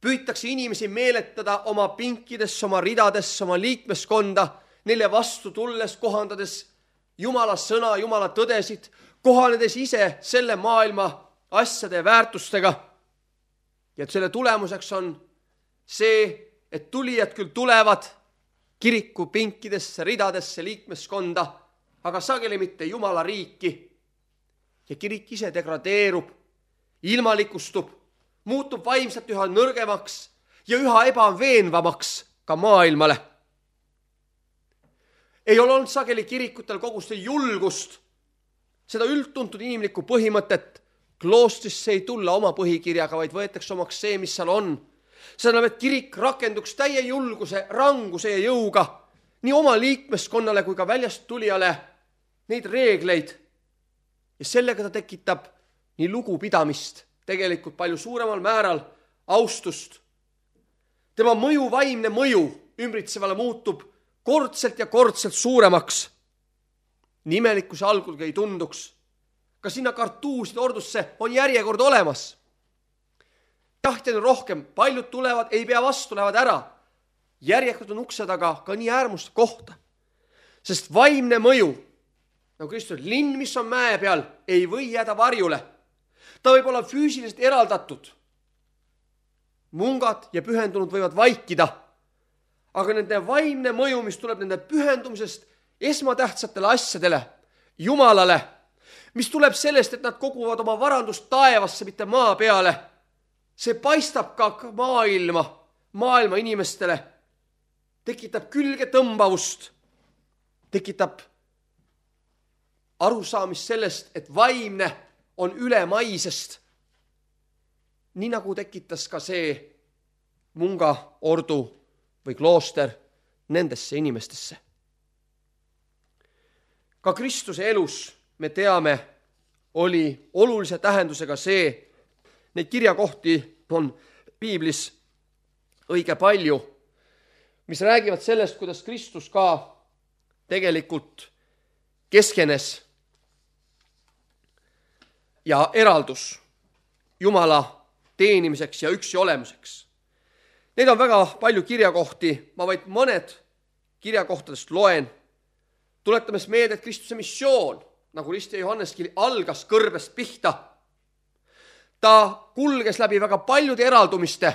püütakse inimesi meeletada oma pinkidesse, oma ridadesse, oma liikmeskonda, neile vastu tulles, kohandades Jumala sõna, Jumala tõdesid, kohanedes ise selle maailma asjade ja väärtustega. Ja et selle tulemuseks on see, et tulijad küll tulevad kiriku pinkidesse, ridadesse, liikmeskonda, aga sageli mitte Jumala riiki. Ja kirik ise degradeerub, ilmalikustub, muutub vaimselt üha nõrgemaks ja üha ebaveenvamaks ka maailmale. Ei ole olnud sageli kirikutel kogustel julgust seda üldtuntud inimlikku põhimõtet kloostrisse ei tulla oma põhikirjaga, vaid võetakse omaks see, mis seal on. See tähendab, et kirik rakenduks täie julguse, ranguse ja jõuga nii oma liikmeskonnale kui ka väljast tulijale neid reegleid. Ja sellega ta tekitab nii lugupidamist, tegelikult palju suuremal määral austust. Tema mõju, vaimne mõju ümbritsevale muutub kordselt ja kordselt suuremaks. Nimelik, kui see algulgi ei tunduks. Ka sinna kartuuside ordusse on järjekord olemas. Tahti on rohkem, paljud tulevad, ei pea vastu, lähevad ära. Järjekord on ukse taga ka nii äärmuste kohta. Sest vaimne mõju, nagu Kristus, linn, mis on mäe peal, ei või jääda varjule. Ta võib olla füüsiliselt eraldatud. Mungad ja pühendunud võivad vaikida. Aga nende vaimne mõju, mis tuleb nende pühendumisest esmatähtsatele asjadele, Jumalale, mis tuleb sellest, et nad koguvad oma varandust taevasse, mitte maa peale, see paistab ka maailma, maailma inimestele, tekitab külge tõmbavust, tekitab arusaamist sellest, et vaimne on ülemaisest. Nii nagu tekitas ka see munga ordu või klooster nendesse inimestesse. Ka Kristuse elus, me teame, oli olulise tähendusega see, neid kirjakohti on piiblis õige palju, mis räägivad sellest, kuidas Kristus ka tegelikult keskenes ja eraldus Jumala teenimiseks ja üksi olemuseks. Neid on väga palju kirjakohti, ma vaid mõned kirjakohtadest loen. Tuletames meelde, et Kristuse missioon, nagu Rist ja Johanneski, algas kõrbest pihta. Ta kulges läbi väga paljude eraldumiste.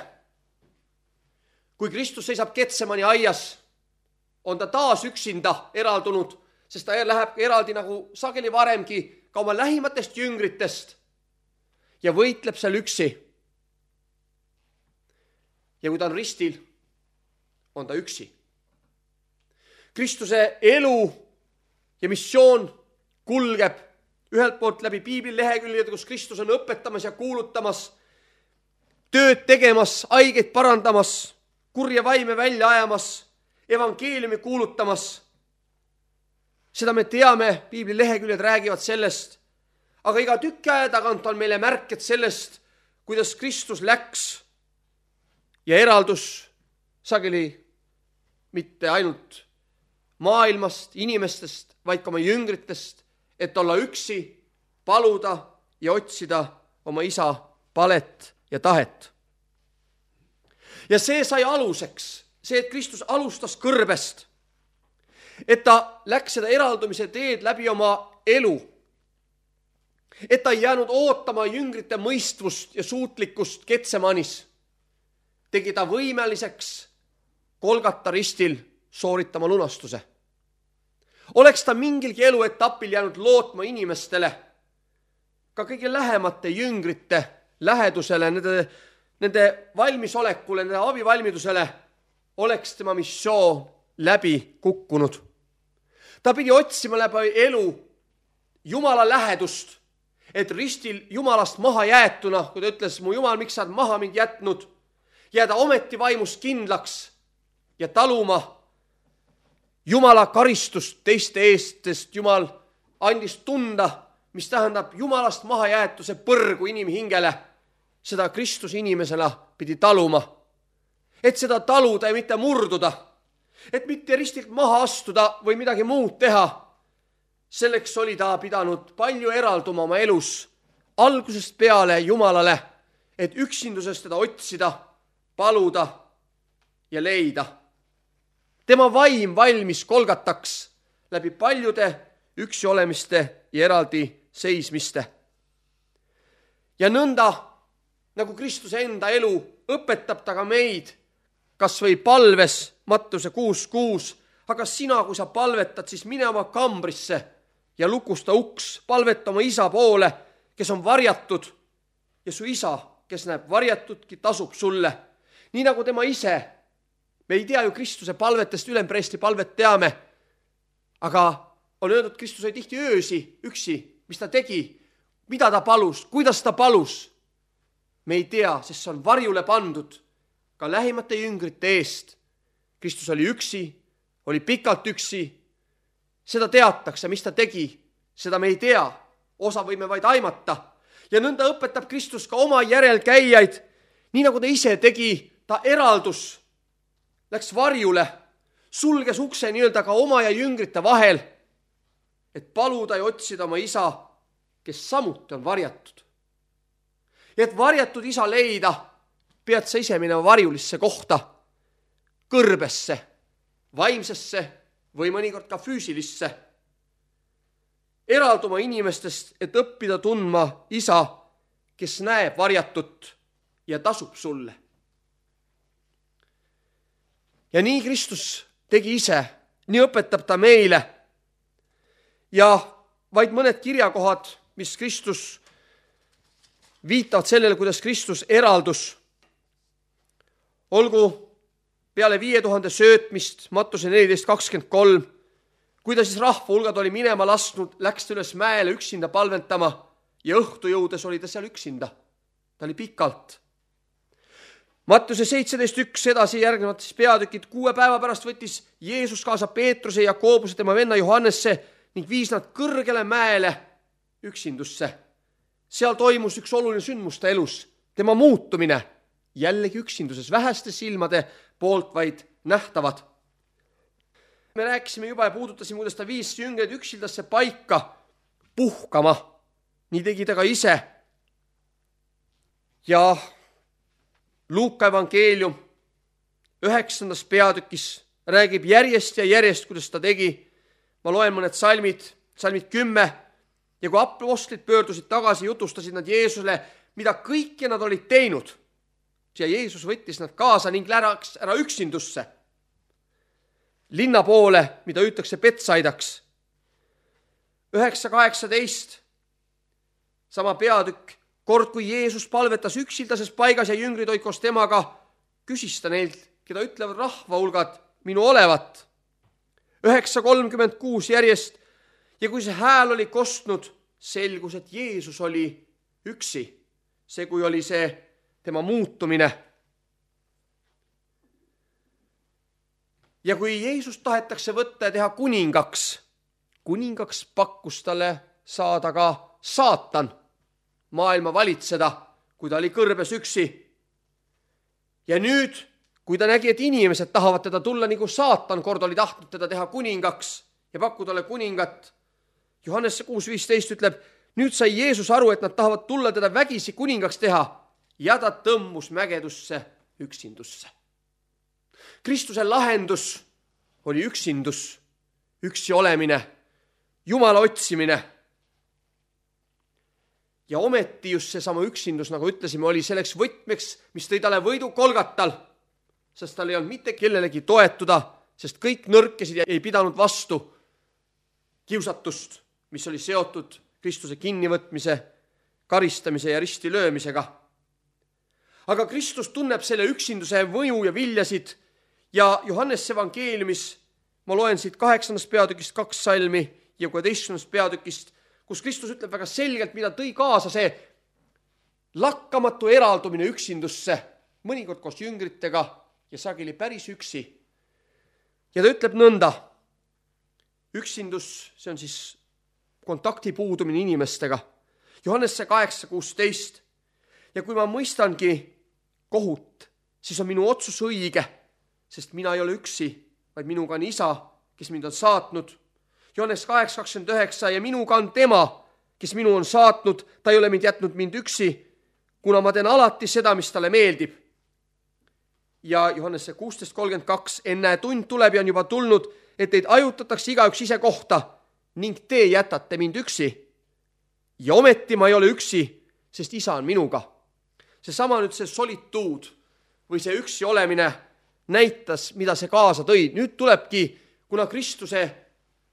Kui Kristus seisab Getsemani aias, on ta taas üksinda eraldunud, sest ta läheb eraldi nagu sageli varemgi ka oma lähimatest jüngritest ja võitleb seal üksi. Ja kui ta on ristil, on ta üksi. Kristuse elu ja missioon kulgeb ühelt poolt läbi piibli leheküljed, kus Kristus on õpetamas ja kuulutamas, tööd tegemas, haigeid parandamas, kurja vaime välja ajamas, evangeeliumi kuulutamas. Seda me teame, piibli leheküljed räägivad sellest, aga iga tükki aja tagant on meile märked sellest, kuidas Kristus läks ja eraldus sageli mitte ainult maailmast, inimestest, vaid ka oma jüngritest, et olla üksi, paluda ja otsida oma isa palet ja tahet. Ja see sai aluseks, see, et Kristus alustas kõrbest, et ta läks seda eraldumise teed läbi oma elu, et ta ei jäänud ootama jüngrite mõistvust ja suutlikkust Getsemanis, tegi ta võimeliseks Golgata ristil sooritama lunastuse. Oleks ta mingilgi eluetapil jäänud lootma inimestele, ka kõige lähemate jüngrite lähedusele, nende, nende valmisolekule, nende abivalmidusele, oleks tema missioon läbi kukkunud. Ta pidi otsima läbi elu Jumala lähedust, et ristil Jumalast maha jäetuna, kui ta ütles, mu Jumal, miks sa oled maha mind jätnud, jääda ometi vaimust kindlaks ja taluma Jumala karistust teiste eest, sest Jumal andis tunda, mis tähendab Jumalast mahajäetuse põrgu inimhingele. Seda Kristus inimesena pidi taluma. Et seda taluda ja mitte murduda. Et mitte ristilt maha astuda või midagi muud teha. Selleks oli ta pidanud palju eralduma oma elus algusest peale Jumalale, et üksindusest teda otsida, paluda ja leida. Tema vaim valmis Golgataks läbi paljude üksi olemiste ja eraldi seismiste. Ja nõnda, nagu Kristuse enda elu, õpetab ta ka meid, kas või palves, Mattuse kuus kuus, aga sina, kui sa palvetad, siis mine oma kambrisse ja lukusta uks, palveta oma isa poole, kes on varjatud, ja su isa, kes näeb varjatudki, tasub sulle. Nii nagu tema ise. Me ei tea ju Kristuse palvetest, ülempreesti palvet teame, aga on öeldud, Kristus oli tihti öösi üksi, mis ta tegi, mida ta palus, kuidas ta palus. Me ei tea, sest see on varjule pandud ka lähimate jüngrite eest. Kristus oli üksi, oli pikalt üksi, seda teatakse, mis ta tegi, seda me ei tea, osa võime vaid aimata. Ja nõnda õpetab Kristus ka oma järelkäijaid, nii nagu ta ise tegi, ta eraldus, läks varjule, sulges ukse nii-öelda ka oma ja jüngrite vahel, et paluda ja otsida oma isa, kes samuti on varjatud. Ja et varjatud isa leida, pead sa ise minema varjulisse kohta, kõrbesse, vaimsesse või mõnikord ka füüsilisse. Eralduma inimestest, et õppida tundma isa, kes näeb varjatut ja tasub sulle. Ja nii Kristus tegi ise, nii õpetab ta meile. Ja vaid mõned kirjakohad, mis Kristus viitavad sellele, kuidas Kristus eraldus. Olgu peale viie tuhande söötmist, Mattuse neliteist kakskümmend kolm, kui ta siis rahva hulgad oli minema lasknud, läks ta üles mäele üksinda palventama ja õhtu jõudes oli ta seal üksinda. Ta oli pikalt. Mattuse seitseteist üks edasi järgnevad siis peatükid. Kuue päeva pärast võttis Jeesus kaasa Peetruse ja Jaakobuse tema venna Johannesse ning viis nad kõrgele mäele üksindusse. Seal toimus üks oluline sündmus ta elus, tema muutumine, jällegi üksinduses, väheste silmade poolt vaid nähtavad. Me rääkisime juba ja puudutasime, kuidas ta viis jüngreid üksildasse paika puhkama. Nii tegi ta ka ise. Ja Luuka evangeelium üheksandas peatükis räägib järjest ja järjest, kuidas ta tegi. Ma loen mõned salmid, salmid kümme. Ja kui apostlid pöördusid tagasi, jutustasid nad Jeesusele, mida kõike nad olid teinud. Ja Jeesus võttis nad kaasa ning läks ära üksindusse. Linna poole, mida hüütakse Betsaidaks. üheksa kaheksateist, sama peatükk. Kord, kui Jeesus palvetas üksildases paigas ja jüngrid olid koos temaga, küsis ta neilt, keda ütlevad rahva hulgad minu olevat. üheksa kolmkümmend kuus järjest. Ja kui see hääl oli kostnud, selgus, et Jeesus oli üksi. See, kui oli see tema muutumine. Ja kui Jeesus tahetakse võtta ja teha kuningaks, kuningaks pakkus talle saada ka saatan, maailma valitseda, kui ta oli kõrbes üksi. Ja nüüd, kui ta nägi, et inimesed tahavad teda tulla, nagu saatan kord oli tahtnud teda teha kuningaks ja pakkuda talle kuningat, Johannese kuus viisteist ütleb, Nüüd sai Jeesus aru, et nad tahavad tulla teda vägisi kuningaks teha ja ta tõmbus mägedusse üksindusse. Kristuse lahendus oli üksindus, üksi olemine, Jumala otsimine. Ja ometi just seesama üksindus, nagu ütlesime, oli selleks võtmeks, mis tõi talle võidu Kolgatal, sest tal ei olnud mitte kellelegi toetuda, sest kõik nõrkesid ja ei pidanud vastu kiusatust, mis oli seotud Kristuse kinnivõtmise, karistamise ja risti löömisega. Aga Kristus tunneb selle üksinduse mõju ja viljasid ja Johannese evangeeliumis ma loen siit kaheksandast peatükist kaks salmi ja kuueteistkümnendast peatükist, kus Kristus ütleb väga selgelt, mida tõi kaasa see lakkamatu eraldumine üksindusse, mõnikord koos jüngritega ja sageli päris üksi. Ja ta ütleb nõnda, üksindus, see on siis kontakti puudumine inimestega. Johannese kaheksa kuusteist. Ja kui ma mõistangi kohut, siis on minu otsus õige, sest mina ei ole üksi, vaid minuga on isa, kes mind on saatnud. Johannes kaheksa kakskümmend üheksa ja minuga on tema, kes minu on saatnud, ta ei ole mind jätnud mind üksi, kuna ma teen alati seda, mis talle meeldib. Ja Johannese kuusteist kolmkümmend kaks, enne tund tuleb ja on juba tulnud, et teid ajutatakse igaüks ise kohta ning te jätate mind üksi. Ja ometi ma ei ole üksi, sest isa on minuga. Seesama nüüd see solituud või see üksi olemine näitas, mida see kaasa tõi. Nüüd tulebki, kuna Kristuse,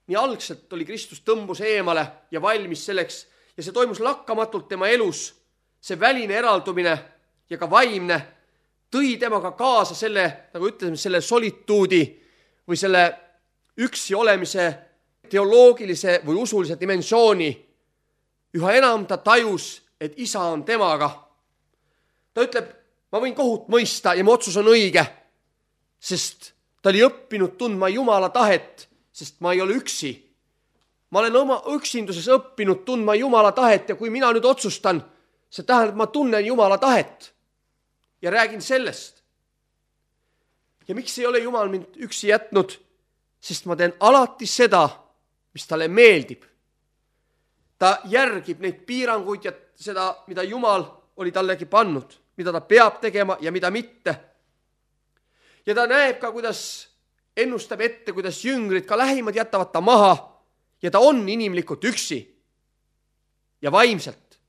nii algselt oli Kristus tõmbus eemale ja valmis selleks ja see toimus lakkamatult tema elus, see väline eraldumine ja ka vaimne tõi temaga kaasa selle, nagu ütlesime, selle solituudi või selle üksi olemise teoloogilise või usulise dimensiooni. Üha enam ta tajus, et isa on temaga. Ta ütleb, ma võin kohut mõista ja mu otsus on õige, sest ta oli õppinud tundma Jumala tahet, sest ma ei ole üksi. Ma olen oma üksinduses õppinud tundma Jumala tahet ja kui mina nüüd otsustan, see tähendab, ma tunnen Jumala tahet ja räägin sellest. Ja miks ei ole Jumal mind üksi jätnud? Sest ma teen alati seda, mis talle meeldib. Ta järgib neid piiranguid ja seda, mida Jumal oli tallegi pannud, mida ta peab tegema ja mida mitte. Ja ta näeb ka, kuidas ennustab ette, kuidas jüngrid, ka lähimad jätavad ta maha ja ta on inimlikult üksi ja vaimselt.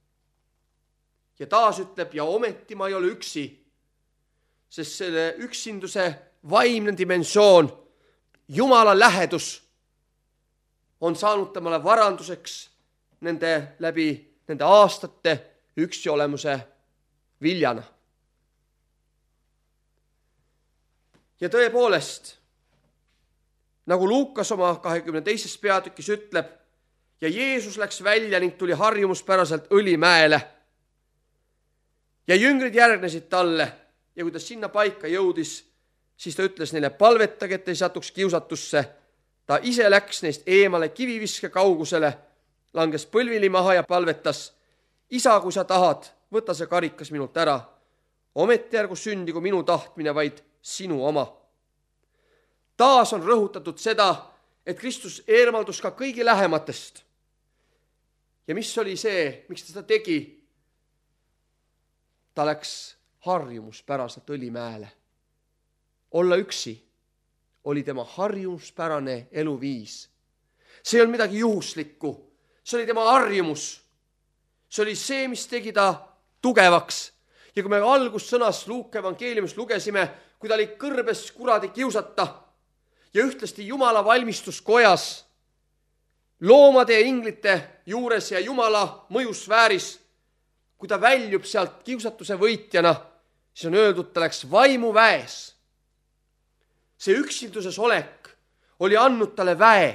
Ja taas ütleb, ja ometi ma ei ole üksi, sest selle üksinduse vaimne dimensioon, Jumala lähedus on saanud temale varanduseks nende läbi nende aastate üksi olemuse viljana. Ja tõepoolest, nagu Luukas oma kahekümne teises peatükis ütleb, ja Jeesus läks välja ning tuli harjumuspäraselt Õlimäele. Ja jüngrid järgnesid talle ja kui ta sinna paika jõudis, siis ta ütles neile, palvetage, et ei satuks kiusatusse. Ta ise läks neist eemale kiviviske kaugusele, langes põlvili maha ja palvetas. Isa, kui sa tahad, võta see karikas minult ära. Ometi ärgu sündigu minu tahtmine, vaid sinu oma. Taas on rõhutatud seda, et Kristus eemaldus ka kõigi lähematest. Ja mis oli see, miks ta seda tegi? Ta läks harjumuspäraselt Õlimäele. Olla üksi oli tema harjumuspärane eluviis. See ei olnud midagi juhuslikku. See oli tema harjumus. See oli see, mis tegi ta tugevaks. Ja kui me algussõnas Luuka evangeeliumist lugesime, kui ta oli kõrbes kuradi kiusata ja ühtlasti Jumala valmistuskojas, loomade ja inglite juures ja Jumala mõjusfääris, kui ta väljub sealt kiusatuse võitjana, siis on öeldud, ta läks vaimuväes. See üksinduses olek oli andnud talle väe,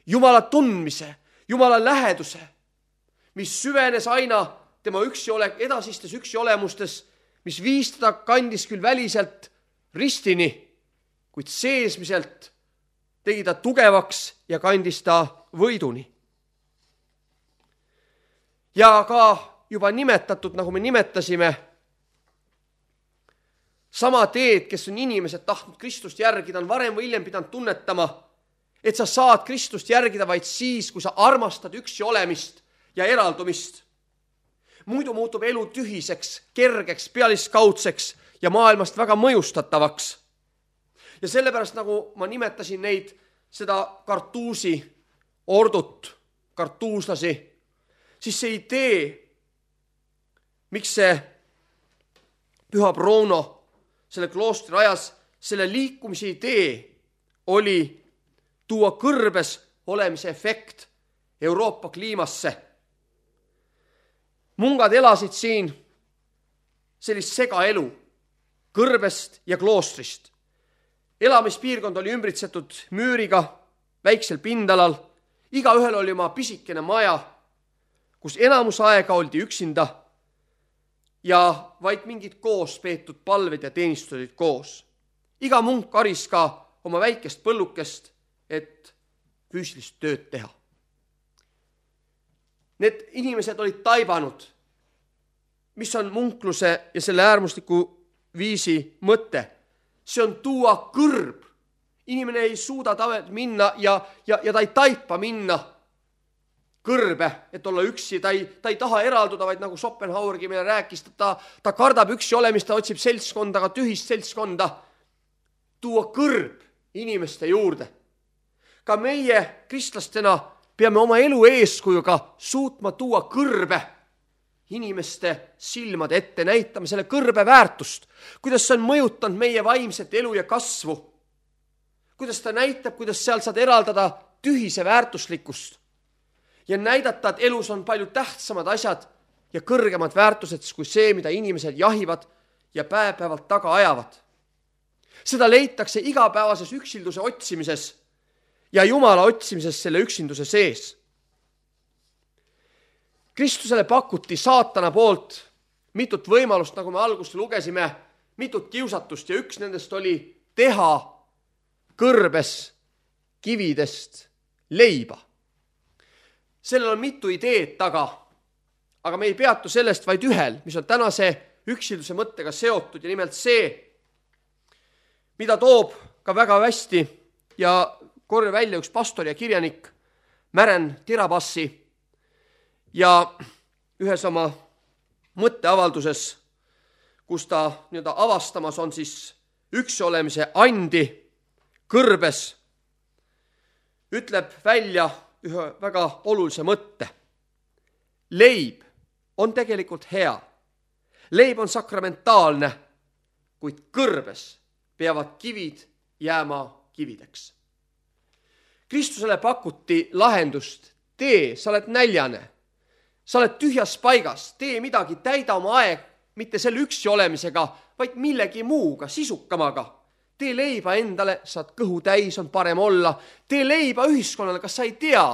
Jumala tundmise, Jumala läheduse, mis süvenes aina tema üksi olek, edasistes üksi olemustes, mis viis teda kandis küll väliselt ristini, kuid seesmiselt tegi ta tugevaks ja kandis ta võiduni. Ja ka juba nimetatud, nagu me nimetasime, sama teed, kes on inimesed tahtnud Kristust järgida, on varem või hiljem pidanud tunnetama, et sa saad Kristust järgida vaid siis, kui sa armastad üksi olemist, ja eraldumist. Muidu muutub elu tühiseks, kergeks, pealiskaudseks ja maailmast väga mõjustatavaks. Ja sellepärast, nagu ma nimetasin neid, seda kartuusi ordut, kartuuslasi, siis see idee, miks see püha Bruno selle kloostri rajas, selle liikumise idee oli tuua kõrbes olemise efekt Euroopa kliimasse. Mungad elasid siin sellist segaelu kõrbest ja kloostrist. Elamispiirkond oli ümbritsetud müüriga väiksel pindalal. Igaühel oli oma pisikene maja, kus enamus aega oldi üksinda ja vaid mingid koos peetud palved ja teenistused olid koos. Iga munk karis ka oma väikest põllukest, et füüsilist tööd teha. Need inimesed olid taibanud, mis on munkluse ja selle äärmusliku viisi mõte. See on tuua kõrb. Inimene ei suuda tavet minna ja, ja, ja ta ei taipa minna kõrbe, et olla üksi. Ta ei, ta ei taha eralduda, vaid nagu Schopenhauergi meile rääkis, ta, ta kardab üksi olemist, ta otsib seltskonda, aga tühist seltskonda. Tuua kõrb inimeste juurde. Ka meie kristlastena peame oma elu eeskujuga suutma tuua kõrbe inimeste silmade ette, näitame selle kõrbe väärtust, kuidas see on mõjutanud meie vaimset elu ja kasvu, kuidas ta näitab, kuidas seal saad eraldada tühise väärtuslikkust ja näidata, et elus on palju tähtsamad asjad ja kõrgemad väärtused kui see, mida inimesed jahivad ja päev-päevalt taga ajavad. Seda leitakse igapäevases üksilduse otsimises ja Jumala otsimises selle üksinduse sees. Kristusele pakuti saatana poolt mitut võimalust, nagu me algust lugesime, mitut kiusatust ja üks nendest oli teha kõrbes kividest leiba. Sellel on mitu ideed taga, aga me ei peatu sellest vaid ühel, mis on tänase üksilduse mõttega seotud ja nimelt see, mida toob ka väga hästi ja korja välja üks pastor ja kirjanik Mären Tirabassi ja ühes oma mõtteavalduses, kus ta nii-öelda avastamas on siis üksi olemise andi kõrbes, ütleb välja ühe väga olulise mõtte. Leib on tegelikult hea. Leib on sakramentaalne, kuid kõrbes peavad kivid jääma kivideks. Kristusele pakuti lahendust. Tee, sa oled näljane. Sa oled tühjas paigas. Tee midagi, täida oma aeg, mitte selle üksi olemisega, vaid millegi muuga, sisukamaga. Tee leiba endale, saad kõhu täis, on parem olla. Tee leiba ühiskonnale, kas sa ei tea,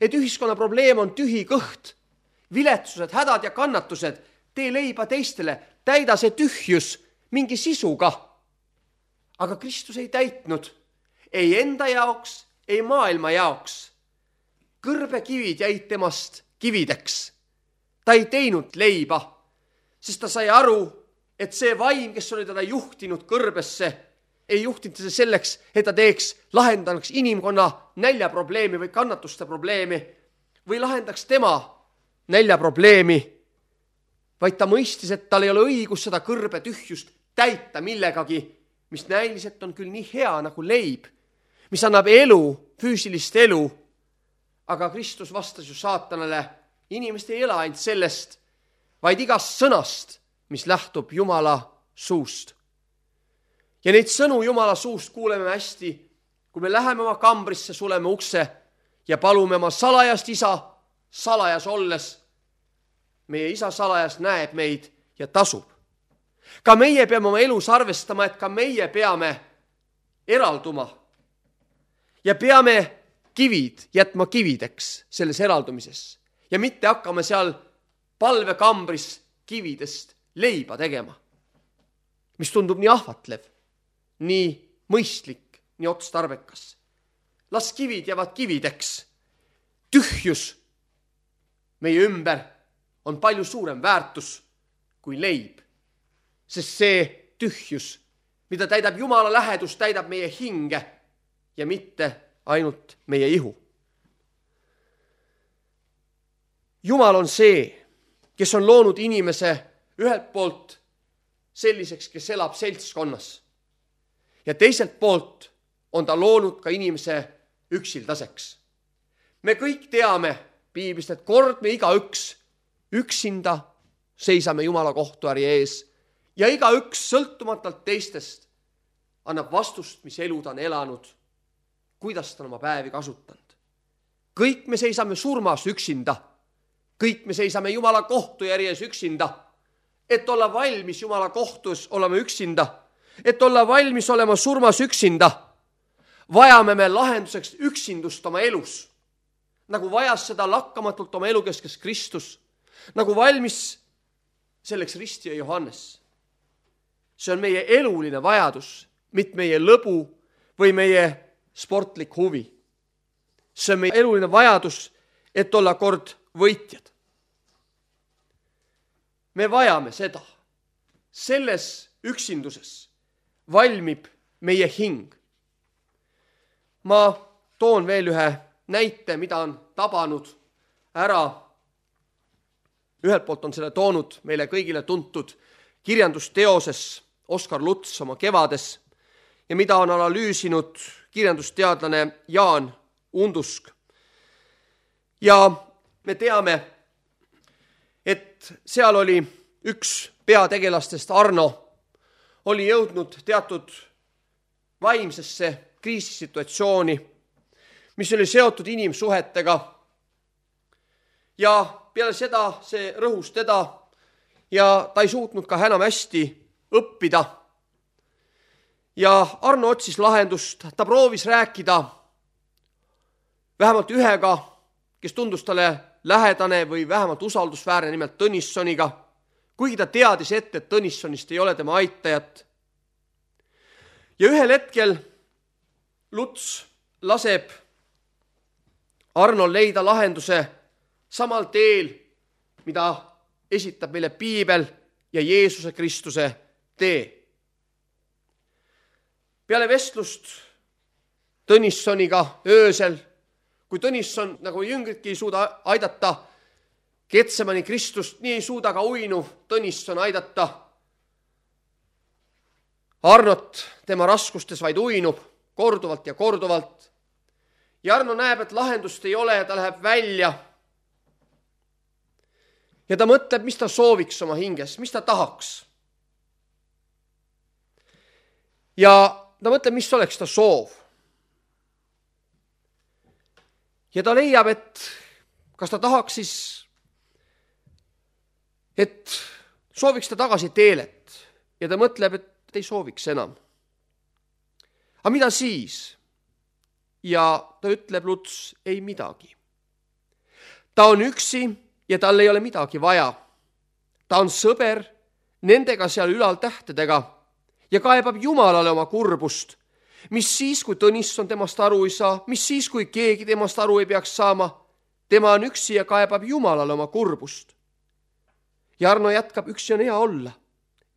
et ühiskonna probleem on tühi kõht, viletsused, hädad ja kannatused. Tee leiba teistele, täida see tühjus mingi sisuga. Aga Kristus ei täitnud. Ei enda jaoks, ei maailma jaoks. Kõrbekivid jäid temast kivideks. Ta ei teinud leiba, sest ta sai aru, et see vaim, kes oli teda juhtinud kõrbesse, ei juhtinud see selleks, et ta teeks, lahendaks inimkonna näljaprobleemi või kannatuste probleemi või lahendaks tema näljaprobleemi, vaid ta mõistis, et tal ei ole õigus seda kõrbe tühjust täita millegagi, mis näiliselt on küll nii hea nagu leib, mis annab elu, füüsilist elu. Aga Kristus vastas ju saatanale, inimest ei ela ainult sellest, vaid igast sõnast, mis lähtub Jumala suust. Ja neid sõnu Jumala suust kuuleme hästi, kui me läheme oma kambrisse, suleme ukse ja palume oma salajast isa, salajas olles. Meie isa salajas näeb meid ja tasub. Ka meie peame oma elus arvestama, et ka meie peame eralduma ja peame kivid jätma kivideks selles eraldumises ja mitte hakkame seal palvekambris kividest leiba tegema, mis tundub nii ahvatlev, nii mõistlik, nii otstarbekas. Las kivid jäävad kivideks. Tühjus meie ümber on palju suurem väärtus kui leib, sest see tühjus, mida täidab Jumala lähedus, täidab meie hinge ja mitte ainult meie ihu. Jumal on see, kes on loonud inimese ühelt poolt selliseks, kes elab seltskonnas. Ja teiselt poolt on ta loonud ka inimese üksildaseks. Me kõik teame piiblist, et kord me igaüks üksinda seisame Jumala kohtuäri ees ja igaüks sõltumatult teistest annab vastust, mis elu ta on elanud, kuidas ta on oma päevi kasutanud. Kõik me seisame surmas üksinda. Kõik me seisame Jumala kohtujärje ees üksinda. Et olla valmis Jumala kohtus olema üksinda. Et olla valmis olema surmas üksinda. Vajame me lahenduseks üksindust oma elus. Nagu vajas seda lakkamatult oma elu keskes Kristus. Nagu valmis selleks ristija Johannes. See on meie eluline vajadus, mitte meie lõbu või meie sportlik huvi. See on meie eluline vajadus, et olla kord võitjad. Me vajame seda. Selles üksinduses valmib meie hing. Ma toon veel ühe näite, mida on tabanud ära. Ühelt poolt on selle toonud meile kõigile tuntud kirjandusteoses Oskar Luts oma Kevades ja mida on analüüsinud kirjandusteadlane Jaan Undusk. Ja me teame, et seal oli üks peategelastest, Arno, oli jõudnud teatud vaimsesse kriisisituatsiooni, mis oli seotud inimsuhetega. Ja peale seda see rõhus teda ja ta ei suutnud ka enam hästi õppida. Ja Arno otsis lahendust, ta proovis rääkida vähemalt ühega, kes tundus talle lähedane või vähemalt usaldusväärne, nimelt Tõnissoniga, kuigi ta teadis ette, et Tõnissonist ei ole tema aitajat. Ja ühel hetkel Luts laseb Arnol leida lahenduse samal teel, mida esitab meile piibel ja Jeesuse Kristuse tee. Peale vestlust Tõnissoniga öösel, kui Tõnisson nagu jüngritki ei suuda aidata Getsemani Kristust, nii ei suuda ka uinuv Tõnisson aidata Arnot tema raskustes, vaid uinub korduvalt ja korduvalt. Ja Arno näeb, et lahendust ei ole ja ta läheb välja. Ja ta mõtleb, mis ta sooviks oma hinges, mis ta tahaks. Ja ta mõtleb, mis oleks ta soov. Ja ta leiab, et kas ta tahaks siis, et sooviks ta tagasi teelet. Ja ta mõtleb, et ei sooviks enam. Aga mida siis? Ja ta ütleb Luts, ei midagi. Ta on üksi ja tal ei ole midagi vaja. Ta on sõber nendega seal ülal tähtedega ja kaebab Jumalale oma kurbust. Mis siis, kui Tõnisson temast aru ei saa, mis siis, kui keegi temast aru ei peaks saama, tema on üksi ja kaebab Jumalale oma kurbust. Ja Arno jätkab, üksi on hea olla.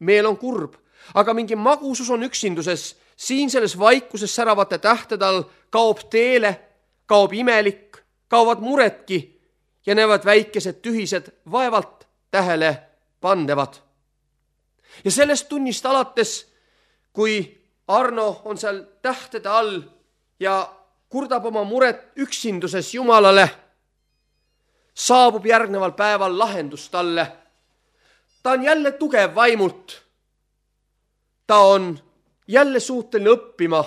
Meel on kurb, aga mingi magusus on üksinduses. Siin selles vaikuses säravate tähtede all kaob teele, kaob imelik, kaovad muredki ja näevad väikesed tühised vaevalt tähele pandevad. Ja sellest tunnist alates, kui Arno on seal tähtede all ja kurdab oma muret üksinduses Jumalale, saabub järgneval päeval lahendus talle. Ta on jälle tugev vaimult. Ta on jälle suuteline õppima.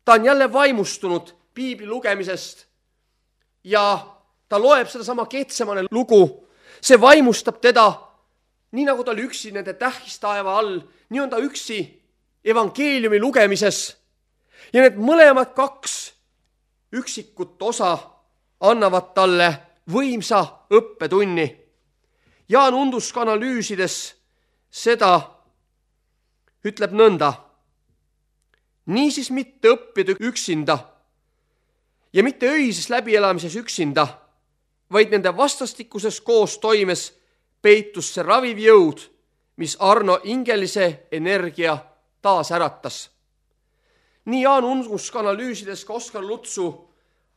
Ta on jälle vaimustunud piibli lugemisest ja ta loeb seda sama Getsemane lugu. See vaimustab teda, nii nagu ta oli üksi nende tähistaeva all, nii on ta üksi evangeeliumi lugemises. Ja need mõlemad kaks üksikut osa annavad talle võimsa õppetunni. Jaan Undusk analüüsides seda ütleb nõnda. Niisiis mitte õppida üksinda ja mitte öises läbielamises üksinda, vaid nende vastastikuses koos toimes peitus see raviv jõud, mis Arno ingelise energia taas äratas. Nii Jaan Undusk analüüsides ka Oskar Lutsu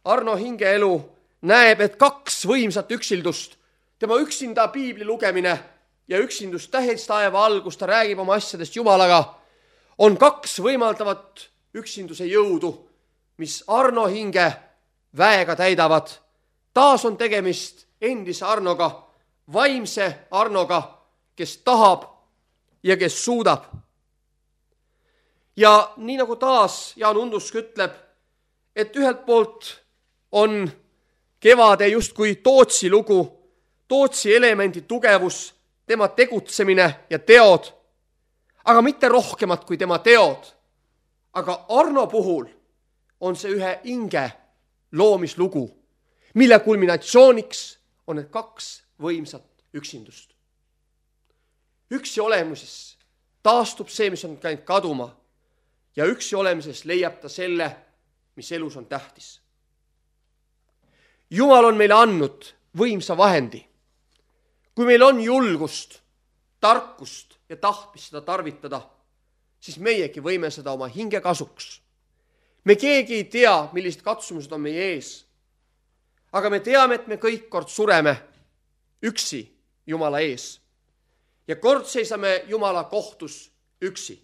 Arno hingeelu näeb, et kaks võimsat üksildust tema üksinda piibli lugemine ja üksindus tähestaeva all, kus ta räägib oma asjadest Jumalaga, on kaks võimaldavat üksinduse jõudu, mis Arno hinge väega täidavad. Taas on tegemist endise Arnoga, vaimse Arnoga, kes tahab ja kes suudab. Ja nii nagu taas Jaan Undusk ütleb, et ühelt poolt on Kevade justkui Tootsi lugu, Tootsi elemendi tugevus, tema tegutsemine ja teod, aga mitte rohkemat kui tema teod. Aga Arno puhul on see ühe hinge loomislugu, mille kulminatsiooniks on need kaks võimsat üksindust. Üksi olemises taastub see, mis on käinud kaduma, ja üksi olemises leiab ta selle, mis elus on tähtis. Jumal on meile andnud võimsa vahendi. Kui meil on julgust, tarkust ja tahtmist seda tarvitada, siis meiegi võime seda oma hinge kasuks. Me keegi ei tea, millised katsumused on meie ees. Aga me teame, et me kõik kord sureme üksi Jumala ees. Ja kord seisame Jumala kohtus üksi.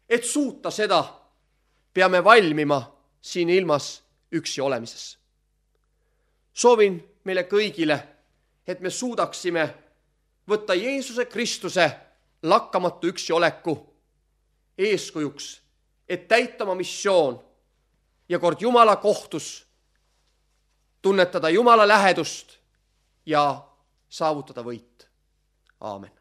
Et suuta seda, peame valmima siin ilmas üksi olemises. Soovin meile kõigile, et me suudaksime võtta Jeesuse Kristuse lakkamatu üksi oleku eeskujuks, et täita oma missioon ja kord Jumala kohtus tunnetada Jumala lähedust ja saavutada võit. Aamen.